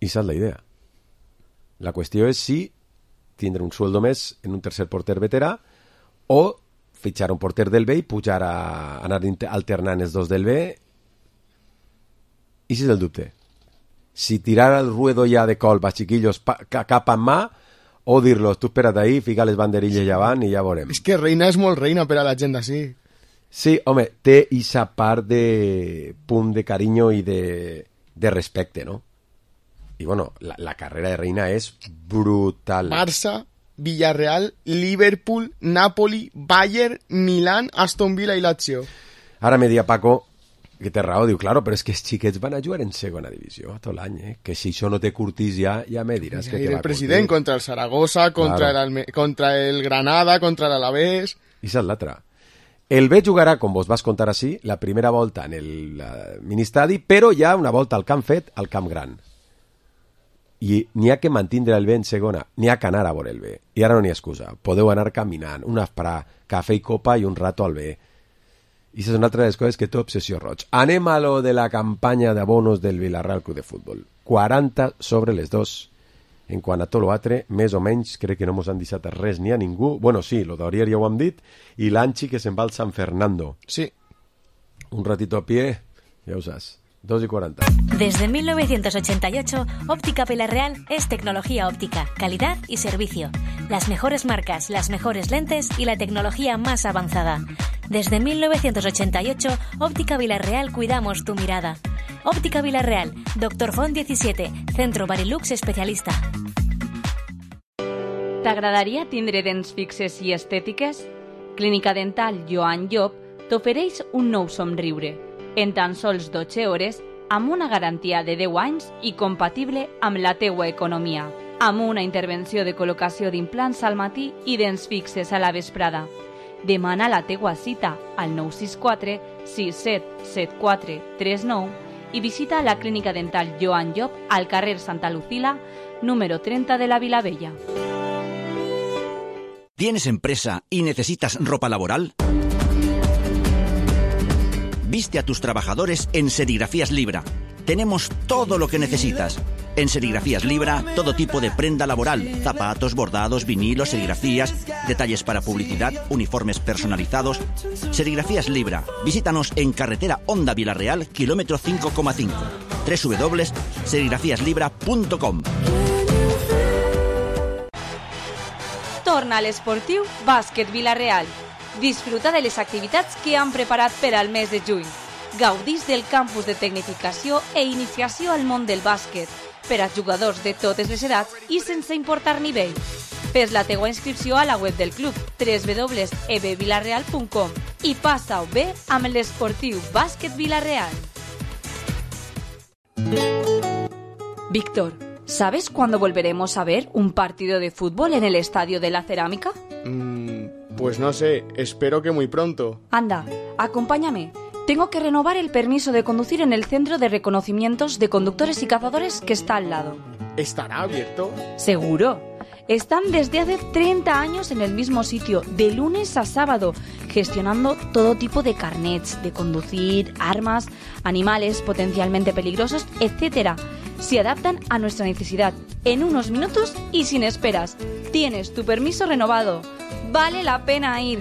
esa es la idea. La qüestió és si tindre un sueldo més en un tercer porter veterà o fitxar un porter del B i pujar a anar alternant els dos del B. I si és el dubte? Si tirar el ruedo ja de colp a chiquillos cap en mà o dir-los, tu espera't ahí, fica les banderilles llevant i ja veurem. És que reina és molt reina per a la gent d'ací. Sí, home, té ixa part de punt de carinyo i de respecte, no? I bueno, la carrera de reina és brutal. Barça, Villarreal, Liverpool, Napoli, Bayern, Milán, Aston Villa i Lazio. Ara me dia Paco, que té raó, diu, claro, però és que els xiquets van a jugar en segona divisió tot l'any, que si això no té curtís ja me diràs que té la el president curtís. Contra el Zaragoza, contra el Granada, contra l'Alavés... I és l'altra. El B jugarà, com vos vas contar així, la primera volta en el ministadi, però hi ha una volta al camp fet al Camp Gran. I n'hi ha que mantindre el B en segona, n'hi ha que anar a veure el B. I ara no n'hi ha excusa. Podeu anar caminant, un esprà, cafè i copa i un rato al B. I això és una altra de les coses que té obsessió roig. Anem a lo de la campanya d'abonos del Villarreal Club de Futbol. 40 sobre les 2. En quant a tot l'altre, més o menys, crec que no mos han deixat res ni a ningú. Bueno, sí, lo d'Aurier ja ho hem dit. I l'Anchi que se'n va al San Fernando. Sí. Un ratito a pie, ja ho saps. 2:40. Desde 1988, Óptica Villarreal es tecnología óptica, calidad y servicio. Las mejores marcas, las mejores lentes y la tecnología más avanzada. Desde 1988, Óptica Villarreal cuidamos tu mirada. Óptica Villarreal, Dr. Font 17, Centro Barilux especialista. T'agradaria tindre dents fixes i estètiques? Clínica Dental Joan Llop t'ofereix un nou somriure. En tan sols 12 hores, amb una garantia de 10 anys i compatible amb la teua economia. Amb una intervenció de col·locació d'implants al matí i dents fixes a la vesprada. Demana la teua cita al 964 6774 39 i visita la Clínica Dental Joan Llop al carrer Santa Lucila, número 30 de la Vilavella. ¿Tienes empresa y necesitas ropa laboral? Viste a tus trabajadores en Serigrafías Libra. Tenemos todo lo que necesitas. En Serigrafías Libra, todo tipo de prenda laboral, zapatos, bordados, vinilos, serigrafías, detalles para publicidad, uniformes personalizados. Serigrafías Libra. Visítanos en carretera Honda Villarreal, kilómetro 5,5. www.serigrafiaslibra.com. Torna a l'esportiu Bàsquet Villarreal. Disfruta de les activitats que han preparat per al mes de juny. Gaudís del campus de tecnificació i iniciació al món del bàsquet per a jugadors de totes les edats i sense importar nivell. Fes la teua inscripció a la web del club www.ebvillarreal.com i passa-ho bé amb l'esportiu Bàsquet Villarreal. Víctor, ¿sabes cuándo volveremos a ver un partido de fútbol en el Estadio de la Cerámica? Pues no sé, espero que muy pronto. Anda, acompáñame. Tengo que renovar el permiso de conducir en el Centro de Reconocimientos de Conductores y Cazadores que está al lado. ¿Estará abierto? Seguro. Están desde hace 30 años en el mismo sitio, de lunes a sábado, gestionando todo tipo de carnets de conducir, armas, animales potencialmente peligrosos, etc. Se adaptan a nuestra necesidad en unos minutos y sin esperas. Tienes tu permiso renovado. Vale la pena ir.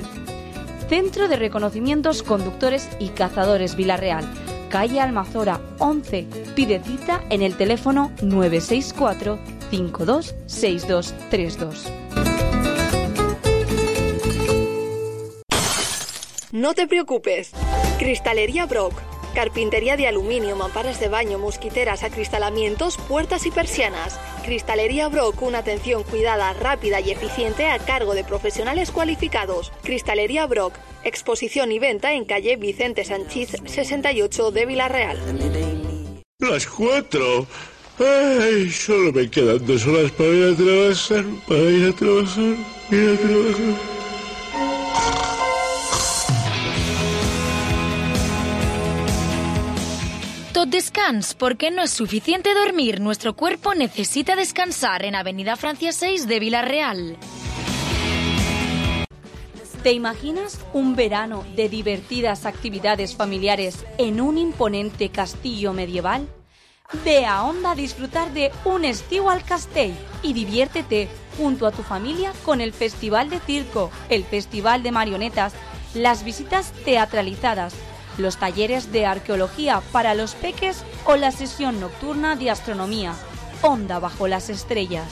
Centro de Reconocimientos Conductores y Cazadores Villarreal, calle Almazora 11. Pide cita en el teléfono 964 526232. No te preocupes. Cristalería Brock. Carpintería de aluminio, mamparas de baño, mosquiteras, acristalamientos, puertas y persianas. Cristalería Brock, una atención cuidada, rápida y eficiente a cargo de profesionales cualificados. Cristalería Brock, exposición y venta en calle Vicente Sanchiz 68 de Villarreal. Las 4. Ay, solo me quedan 2 horas para ir a trabajar, Tot descans, porque no es suficiente dormir. Nuestro cuerpo necesita descansar en Avenida Francia 6 de Villarreal. ¿Te imaginas un verano de divertidas actividades familiares en un imponente castillo medieval? Ve a Onda a disfrutar de un estiu al castell y diviértete junto a tu familia con el Festival de Circo, el Festival de Marionetas, las visitas teatralizadas, los talleres de arqueología para los peques o la sesión nocturna de astronomía, Onda bajo las estrellas.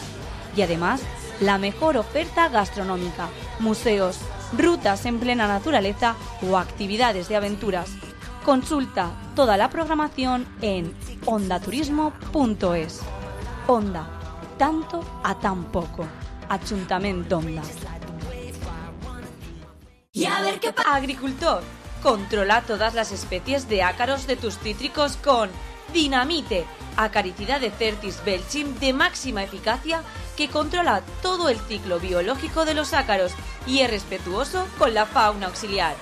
Y además, la mejor oferta gastronómica, museos, rutas en plena naturaleza o actividades de aventuras. Consulta toda la programación en ondaturismo.es. Onda, tanto a tan poco. Ayuntamiento Onda. Y a ver qué pasa. Agricultor, controla todas las especies de ácaros de tus cítricos con Dinamite, acaricida de Certis belchim de máxima eficacia que controla todo el ciclo biológico de los ácaros y es respetuoso con la fauna auxiliar.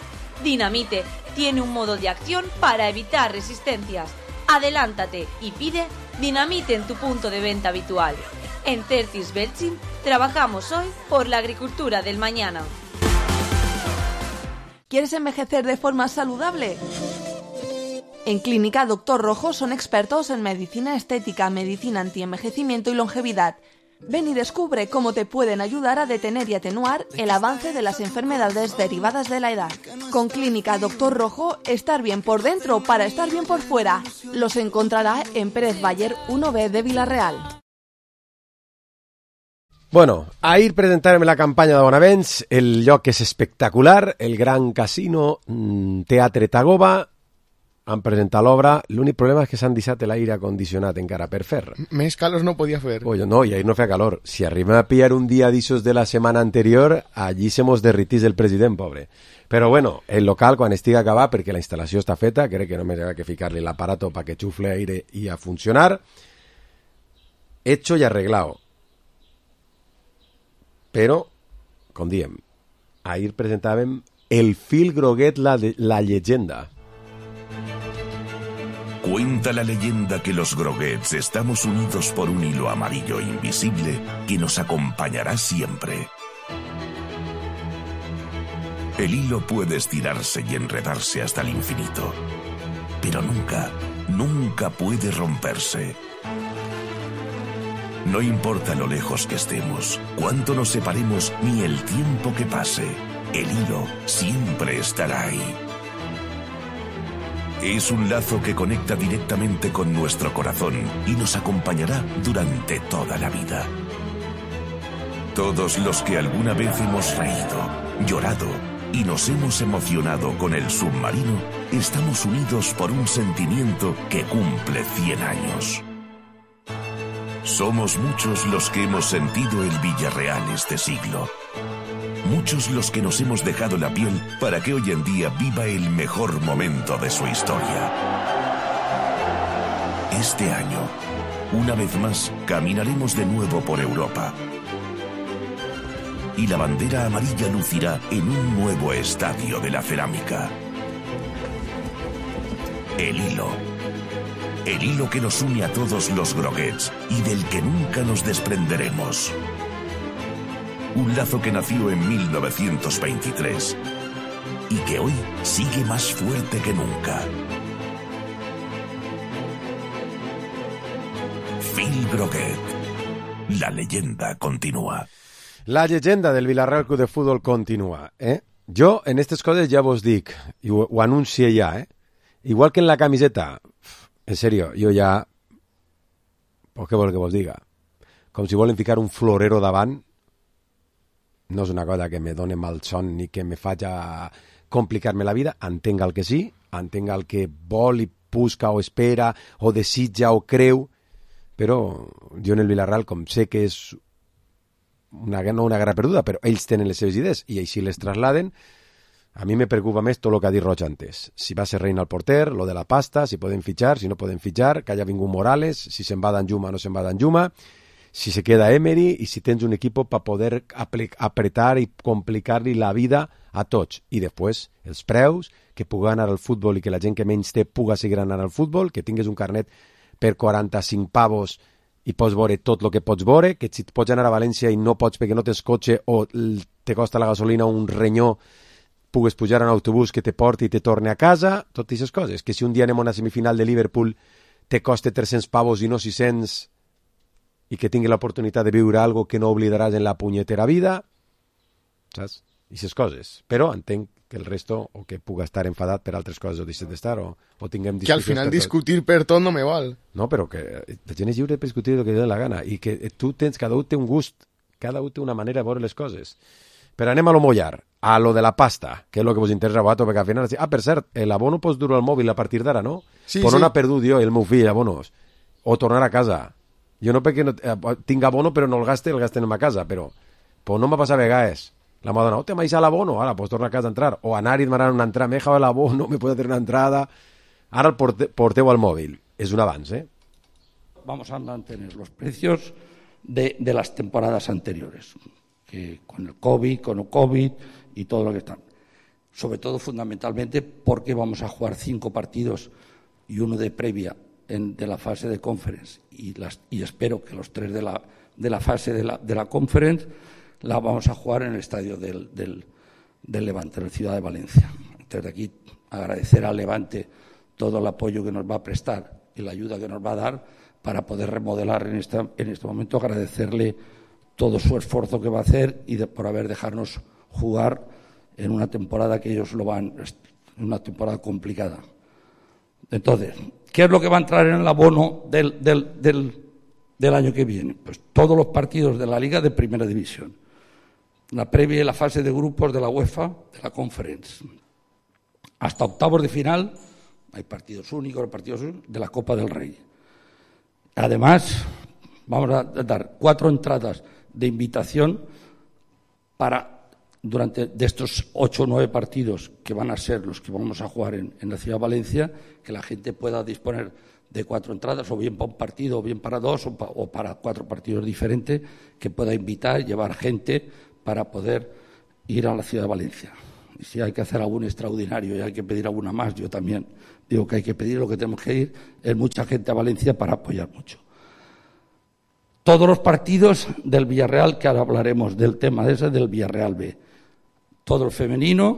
Dinamite tiene un modo de acción para evitar resistencias. Adelántate y pide Dinamite en tu punto de venta habitual. En Certis belchim trabajamos hoy por la agricultura del mañana. ¿Quieres envejecer de forma saludable? En Clínica Dr. Rojo son expertos en medicina estética, medicina antienvejecimiento y longevidad. Ven y descubre cómo te pueden ayudar a detener y atenuar el avance de las enfermedades derivadas de la edad. Con Clínica Dr. Rojo, estar bien por dentro para estar bien por fuera. Los encontrará en Pérez Bayer 1B de Vila-real. Bueno, ahir presentarem la campanya de Bonavents, el lloc és espectacular, el Gran Casino Teatre Tagoba, han presentat l'obra, l'únic problema és que s'han deixat l'aire acondicionat encara per fer. Més calor no podia fer. Oye, no, y ahí no feia calor. Si arribem a pillar un día d'ixos de la setmana anterior, allí se mos derritís el president, pobre. Però bueno, el local, quan estigui acabat, perquè la instal·lació està feta, crec que només ha que ficar-li l'aparato para que xufle aire i a funcionar, hecho y arreglado. Però, com diem, ahir presentàvem el fil groguet, la leyenda. Cuenta la leyenda que los Groguets estamos unidos por un hilo amarillo invisible que nos acompañará siempre. El hilo puede estirarse y enredarse hasta el infinito, pero nunca, nunca puede romperse. No importa lo lejos que estemos, cuánto nos separemos ni el tiempo que pase, el hilo siempre estará ahí. Es un lazo que conecta directamente con nuestro corazón y nos acompañará durante toda la vida. Todos los que alguna vez hemos reído, llorado y nos hemos emocionado con el submarino, estamos unidos por un sentimiento que cumple 100 años. Somos muchos los que hemos sentido el Villarreal este siglo. Muchos los que nos hemos dejado la piel para que hoy en día viva el mejor momento de su historia. Este año, una vez más, caminaremos de nuevo por Europa. Y la bandera amarilla lucirá en un nuevo estadio de la cerámica. El hilo. El hilo que nos une a todos los Groguets y del que nunca nos desprenderemos. Un lazo que nació en 1923 y que hoy sigue más fuerte que nunca. Phil Groguet. La leyenda continúa. La llegenda del Villarreal Club de Fútbol continua, Jo, en aquestes coses ja vos dic, i ho anuncie ja, Igual que en la camiseta, en serio, jo ja... Pues què vol que vos diga? Com si volen ficar un florero davant, no és una cosa que me doni mal son ni que me faci complicar-me la vida, entenga el que sí, entenga el que vol i busca o espera o desitja o creu, però jo en el Villarreal, com sé que és no una guerra perduda, però ells tenen les seves idees i així les trasladen, a mi me preocupa més tot el que ha dit Roig antes. Si va ser Reina al porter, lo de la pasta, si poden fitxar, si no poden fitxar, que haya vingut Morales, si se'n va d'Anjuma o no se'n va d'Anjuma, si se queda Emery i si tens un equip per poder apretar i complicar-li la vida a tots. I després, els preus, que pugui anar al futbol i que la gent que menys té pugui seguir anar al futbol, que tingues un carnet per 45 pavos i pots veure tot el que pots veure, que si pots anar a València i no pots perquè no tens cotxe o te costa la gasolina un renyó, pugues pujar a un autobús que te porti i te torne a casa, totes aquestes coses. Que si un dia anem a una semifinal de Liverpool te costa 300 pavos i no 600, i que tingui l'oportunitat de viure algo que no oblidaràs en la punyetera vida, saps? I aquestes coses. Però entenc que el resto, o que puga estar enfadat per altres coses o deixes d'estar, o tinguem discussions... Que al final discutir per tot no me val. No, però que la gent és lliure per discutir el que li doni la gana, i que cada un té un gust, cada un té una manera de veure les coses. Però anem a lo mollar, a lo de la pasta, que és el que vos interessa a vosaltres, perquè al final... Ah, per cert, l'abono pots dur al mòbil a partir d'ara, no? Sí, Però sí. no ha perdut jo i el meu fill abonos. O tornar a casa. Jo no perquè no, tinc abono però no el gaste en ma casa, però no m'ha passat a vegades. La m'ha donat, te m'ha deixat l'abono, ara, pues torna a casa a entrar. O anar i demanar una entrada, m'he dejado el abono, me puede hacer una entrada. Ara el porteu al mòbil. És un avance, ¿eh? Vamos a mantener los precios de las temporadas anteriores, que con el COVID, con el COVID y todo lo que están. Sobre todo, fundamentalmente, porque vamos a jugar 5 partidos y uno de previa de la fase de conference y espero que los 3 de la fase de la conference la vamos a jugar en el estadio del Levante, en la ciudad de Valencia. Desde aquí agradecer al Levante todo el apoyo que nos va a prestar y la ayuda que nos va a dar para poder remodelar en este momento, agradecerle todo su esfuerzo que va a hacer y por haber dejarnos jugar en una temporada que ellos una temporada complicada. Entonces, ¿qué es lo que va a entrar en el abono del año que viene? Pues todos los partidos de la Liga de Primera División, la previa y la fase de grupos de la UEFA, de la Conference. Hasta octavos de final hay partidos únicos, de la Copa del Rey. Además, vamos a dar 4 entradas de invitación de estos 8 o 9 partidos que van a ser los que vamos a jugar en la ciudad de Valencia, que la gente pueda disponer de 4 entradas, o bien para un partido, o bien para 2, o para 4 partidos diferentes, que pueda invitar, llevar gente para poder ir a la ciudad de Valencia. Y si hay que hacer algún extraordinario y hay que pedir alguna más, yo también digo que hay que pedir, lo que tenemos que ir es mucha gente a Valencia para apoyar mucho. Todos los partidos del Villarreal, que ahora hablaremos del tema del Villarreal B, todo el femenino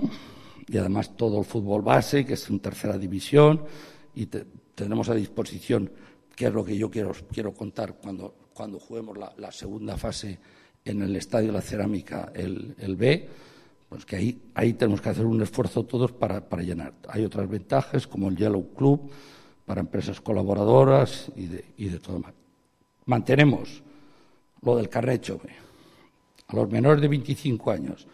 y además todo el fútbol base, que es en tercera división, y tenemos a disposición, que es lo que yo quiero contar cuando juguemos la segunda fase en el Estadio de la Cerámica, el B, pues que ahí tenemos que hacer un esfuerzo todos para llenar. Hay otras ventajas, como el Yellow Club, para empresas colaboradoras y de todo más. Mantenemos lo del carnet Chove. A los menores de 25 años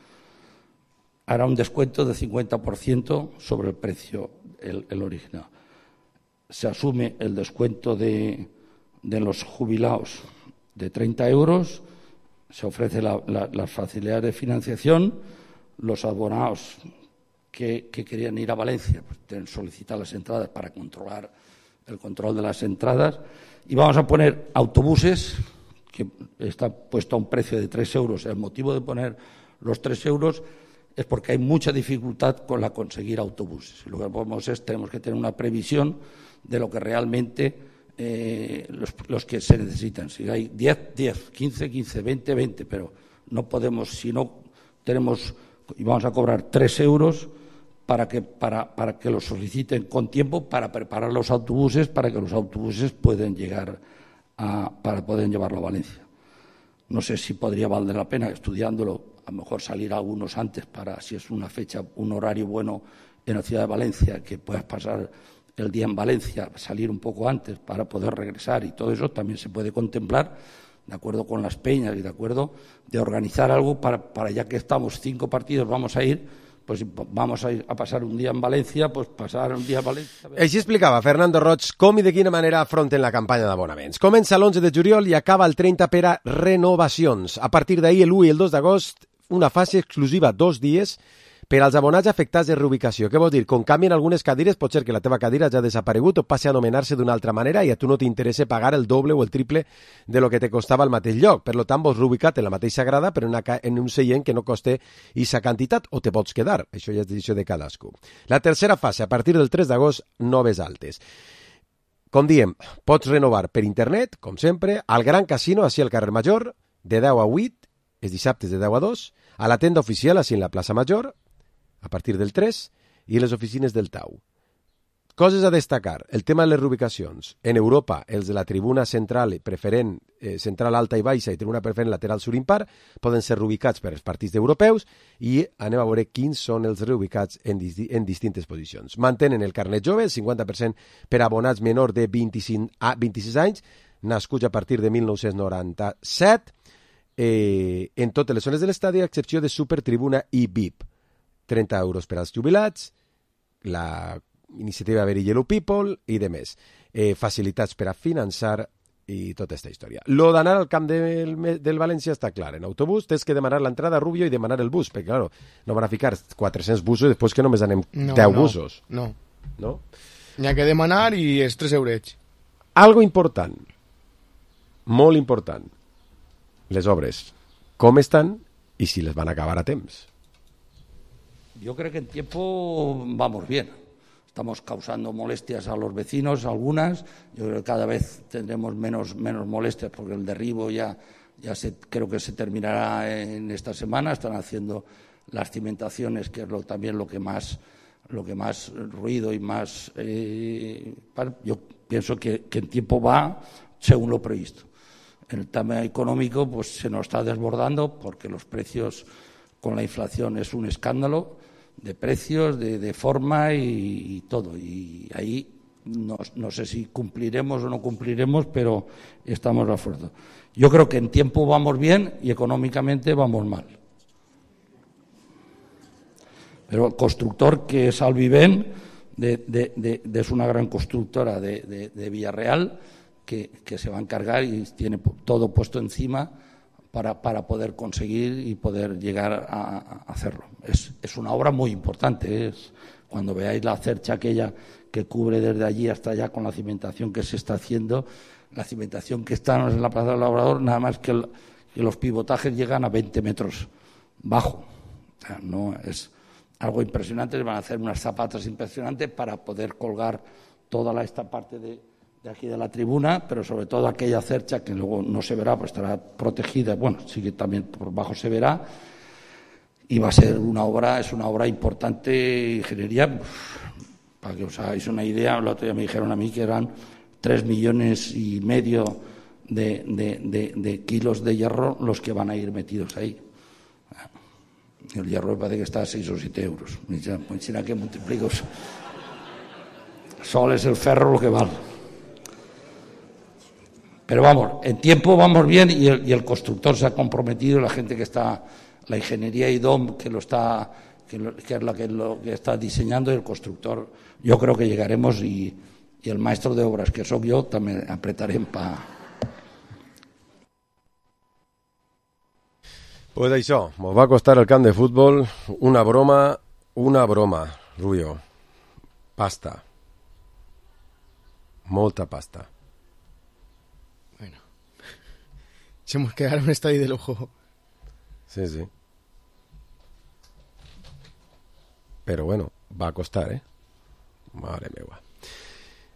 hará un descuento de 50% sobre el precio, el original. Se asume el descuento de los jubilados de 30 euros, se ofrece las facilidades de financiación, los abonados que querían ir a Valencia pues deben solicitar las entradas para controlar el control de las entradas, y vamos a poner autobuses, que está puesto a un precio de 3 euros. El motivo de poner los 3 euros es porque hay mucha dificultad con conseguir autobuses. Lo que podemos tenemos que tener una previsión de lo que realmente los que se necesitan. Si hay 10, 15, 20, pero no podemos, si no tenemos, y vamos a cobrar 3 euros para que los soliciten con tiempo, para preparar los autobuses, para que los autobuses puedan llegar para poder llevarlo a Valencia. No sé si podría valer la pena, estudiándolo, a lo mejor salir algunos antes para, si es una fecha, un horario bueno en la ciudad de Valencia, que puedas pasar el día en Valencia, salir un poco antes para poder regresar, y todo eso también se puede contemplar, de acuerdo con las peñas y de acuerdo de organizar algo para ya que estamos 5 partidos, vamos a ir, pues vamos a ir a pasar un día en València, pues passar un dia a València. Així explicava Fernando Roig com i de quina manera afronten la campanya d'abonaments. Comença l'11 de juliol i acaba el 30 per a renovacions. A partir d'ahir, el 1 i el 2 d'agost, una fase exclusiva 2 dies per als abonats afectats de reubicació. Què vol dir? Com canvien algunes cadires, pot ser que la teva cadira ja ha desaparegut o passi a anomenar-se d'una altra manera i a tu no t'interessa pagar el doble o el triple de lo que te costava al mateix lloc. Per tant, vols reubicat en la mateixa grada, però en un seient que no coste aquesta quantitat, o te pots quedar. Això ja és decisió de cadascú. La tercera fase, a partir del 3 d'agost, noves altes. Com diem, pots renovar per internet, com sempre, al Gran Casino, així al carrer Major, de 10 a 8, els dissabtes de 10 a 2, a la tenda oficial, així en la plaça Major, a partir del 3, i les oficines del Tau. Coses a destacar. El tema de les reubicacions. En Europa, els de la tribuna central preferent, central alta i baixa i tribuna preferent lateral sur impar poden ser reubicats per als partits europeus i anem a veure quins són els reubicats en distintes posicions. Mantenen el carnet jove, el 50% per abonats menor de 26 anys, nascuts a partir de 1997, en totes les zones de l'estadi, a excepció de Supertribuna i VIP. 30 euros per als jubilats, la iniciativa Very Yellow People i de més. Facilitats per a finançar i tota aquesta història. Lo d'anar al camp del València està clar. En autobús tens que demanar l'entrada a Rubio i demanar el bus, perquè, claro, no van a ficar 400 busos i després que només anem 10 busos. No. No? N'hi ha que demanar i és 3 eurets. Algo important, molt important, les obres. Com estan i si les van acabar a temps. Yo creo que en tiempo vamos bien. Estamos causando molestias a los vecinos, algunas. Yo creo que cada vez tendremos menos molestias porque el derribo creo que se terminará en esta semana. Están haciendo las cimentaciones, que es también lo que más ruido y más... yo pienso que en tiempo va según lo previsto. En el tema económico pues se nos está desbordando porque los precios con la inflación es un escándalo de precios, de forma y todo. Y ahí no sé si cumpliremos o no cumpliremos, pero estamos de acuerdo. Yo creo que en tiempo vamos bien y económicamente vamos mal. Pero el constructor, que es Alviven, es una gran constructora de Villarreal, que se va a encargar y tiene todo puesto encima para poder conseguir y poder llegar a hacerlo. Es una obra muy importante. Cuando veáis la cercha aquella que cubre desde allí hasta allá con la cimentación que se está haciendo, la cimentación que está en la Plaza del Labrador, nada más que los pivotajes llegan a 20 metros bajo. O sea, no es algo impresionante. Van a hacer unas zapatas impresionantes para poder colgar toda esta parte de aquí de la tribuna, pero sobre todo aquella cercha que luego no se verá, pues estará protegida, bueno, sí que también por bajo se verá, y va a ser es una obra importante, ingeniería, para que os hagáis una idea. El otro día me dijeron a mí que eran 3,5 millones de kilos de hierro los que van a ir metidos ahí. El hierro parece que está a 6 o 7 euros. Pues será que multiplico. Sol es el ferro lo que vale. Pero vamos, en tiempo vamos bien y el constructor se ha comprometido, la gente que está, la ingeniería IDOM que es la que está diseñando, y el constructor, yo creo que llegaremos y el maestro de obras, que soy yo, también apretarem para... Pues això, mos va costar el camp de futbol una broma, Rubio. Pasta. Molta pasta. Bueno. Se nos quedaron un estadio de lujo. Sí, sí. Pero bueno, va a costar, ¿eh? Madre meva.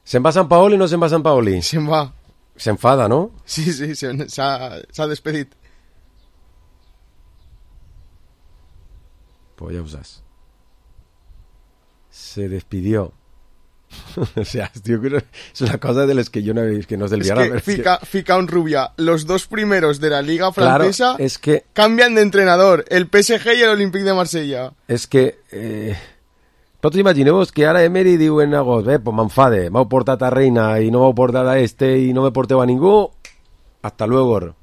¿Se'n va Sant Paoli o no se'n va Sant Paoli? Se'n va. S'enfada, ¿no? Sí, s'ha despedit. Pues ya usas. Se despidió. O sea, tío, es una cosa de las que yo no he visto, que no es del Villarreal. Fica un Rubia. Los dos primeros de la Liga Francesa, claro, es que cambian de entrenador. El PSG y el Olympique de Marsella. És que... Tots imagineu-vos que ara Emery diu en agost, pues m'enfade, m'heu portat a Reina i no m'heu portat a i no me porteu a ningú. Hasta luego.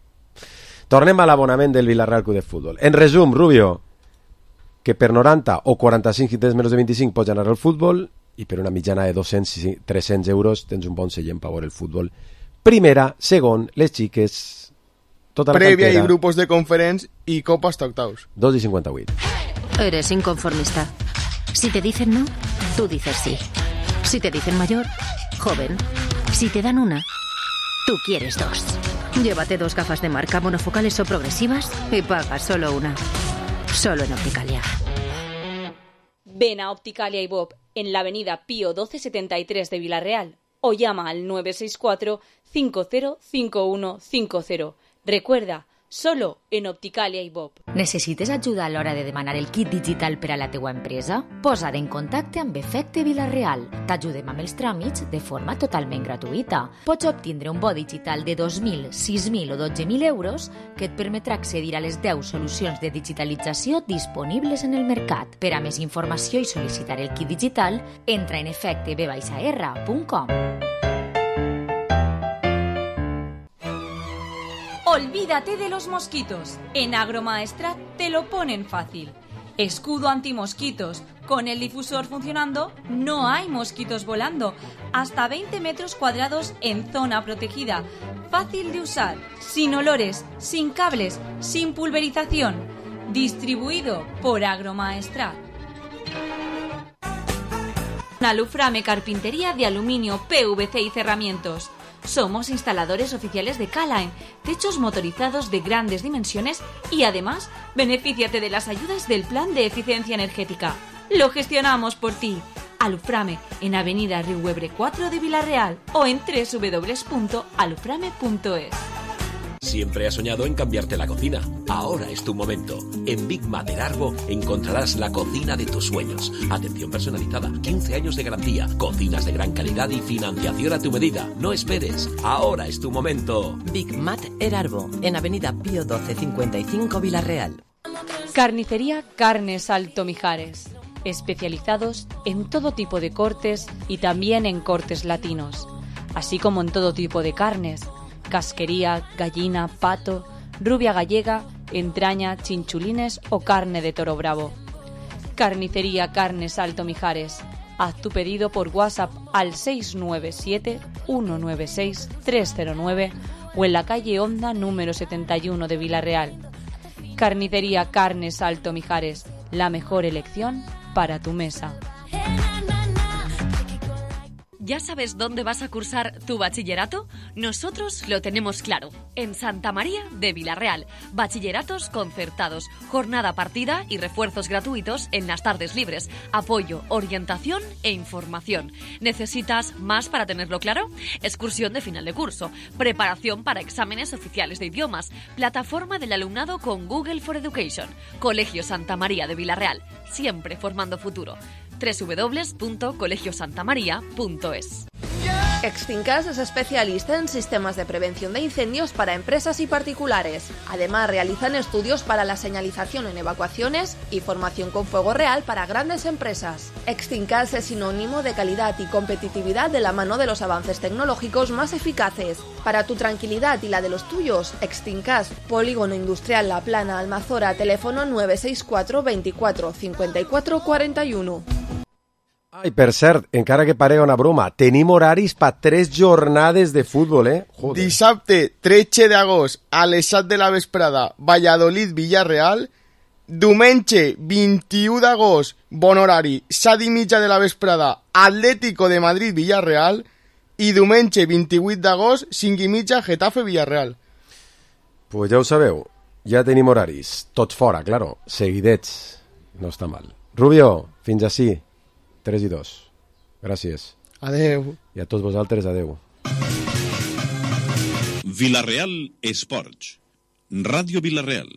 Tornem a l'abonament del Villarreal Club de Futbol. En resum, Rubio, que per 90 o 45 si tens menys de 25 pots anar al futbol i per una mitjana de 200-300 euros tens un bon seient per veure el futbol. Primera, segon, les xiques, tota la prèvia cantera. Y grupos de conference y copa hasta octavos. 2,58. Eres inconformista. Si te dicen no, tú dices sí. Si te dicen mayor, joven. Si te dan una, tú quieres dos. Llévate 2 gafas de marca monofocales o progresivas y pagas solo una. Solo en Opticalia. Ven a Opticalia y Bob en la avenida Pío 1273 de Villarreal o llama al 964 505150. Recuerda, solo en Opticalia i Bob. Necessites ajuda a l'hora de demanar el kit digital per a la teua empresa? Posa't en contacte amb Efecte Vila-real. T'ajudem amb els tràmits de forma totalment gratuïta. Pots obtindre un bo digital de 2.000, 6.000 o 12.000 euros que et permetrà accedir a les 10 solucions de digitalització disponibles en el mercat. Per a més informació i sol·licitar el kit digital, entra en efecteb-r.com. Olvídate de los mosquitos. En Agromaestrat te lo ponen fácil. Escudo antimosquitos. Con el difusor funcionando, no hay mosquitos volando. Hasta 20 metros cuadrados en zona protegida. Fácil de usar, sin olores, sin cables, sin pulverización. Distribuido por Agromaestrat. Aluframe Carpintería de Aluminio, PVC y Cerramientos. Somos instaladores oficiales de K-Line, techos motorizados de grandes dimensiones y además benefíciate de las ayudas del Plan de Eficiencia Energética. Lo gestionamos por ti. Aluframe en Avenida Riuebre 4 de Vila-real o en www.aluframe.es. Siempre has soñado en cambiarte la cocina. Ahora es tu momento. En Big Mat Erarbo encontrarás la cocina de tus sueños. Atención personalizada, 15 años de garantía, cocinas de gran calidad y financiación a tu medida. No esperes. Ahora es tu momento. Big Mat Erarbo, en Avenida Pío 12 55 Vila-real. Carnicería Carnes Alto Mijares. Especializados en todo tipo de cortes y también en cortes latinos, así como en todo tipo de carnes. Casquería, gallina, pato, rubia gallega, entraña, chinchulines o carne de toro bravo. Carnicería Carnes Alto Mijares. Haz tu pedido por WhatsApp al 697-196-309 o en la calle Honda número 71 de Vila-real. Carnicería Carnes Alto Mijares. La mejor elección para tu mesa. ¿Ya sabes dónde vas a cursar tu bachillerato? Nosotros lo tenemos claro. En Santa María de Vila-real. Bachilleratos concertados, jornada partida y refuerzos gratuitos en las tardes libres. Apoyo, orientación e información. ¿Necesitas más para tenerlo claro? Excursión de final de curso. Preparación para exámenes oficiales de idiomas. Plataforma del alumnado con Google for Education. Colegio Santa María de Vila-real. Siempre formando futuro. www.colegiosantamaria.es. Extincas es especialista en sistemas de prevención de incendios para empresas y particulares. Además, realizan estudios para la señalización en evacuaciones y formación con fuego real para grandes empresas. Extincas es sinónimo de calidad y competitividad de la mano de los avances tecnológicos más eficaces. Para tu tranquilidad y la de los tuyos, Extincas, Polígono Industrial La Plana, Almazora, teléfono 964 24 54 41. Ai, per cert, encara que parega una broma, tenim horaris per 3 jornades de futbol, Joder. Dissabte 13 d'agost a les 7 de la vesprada, Valladolid-Villarreal. Diumenge 21 d'agost, bon horari, 7:30 de la vesprada, Atlético de Madrid-Villarreal. I diumenge 28 d'agost, 5:30, Getafe-Villarreal. Pues ja ho sabeu, ja tenim horaris, tots fora, claro, seguidets, no està mal. Rubio, fins ací. 3 i 2. Gràcies. Adeu. I a tots vosaltres, adeu. Vila-real Esports. Ràdio Vila-real.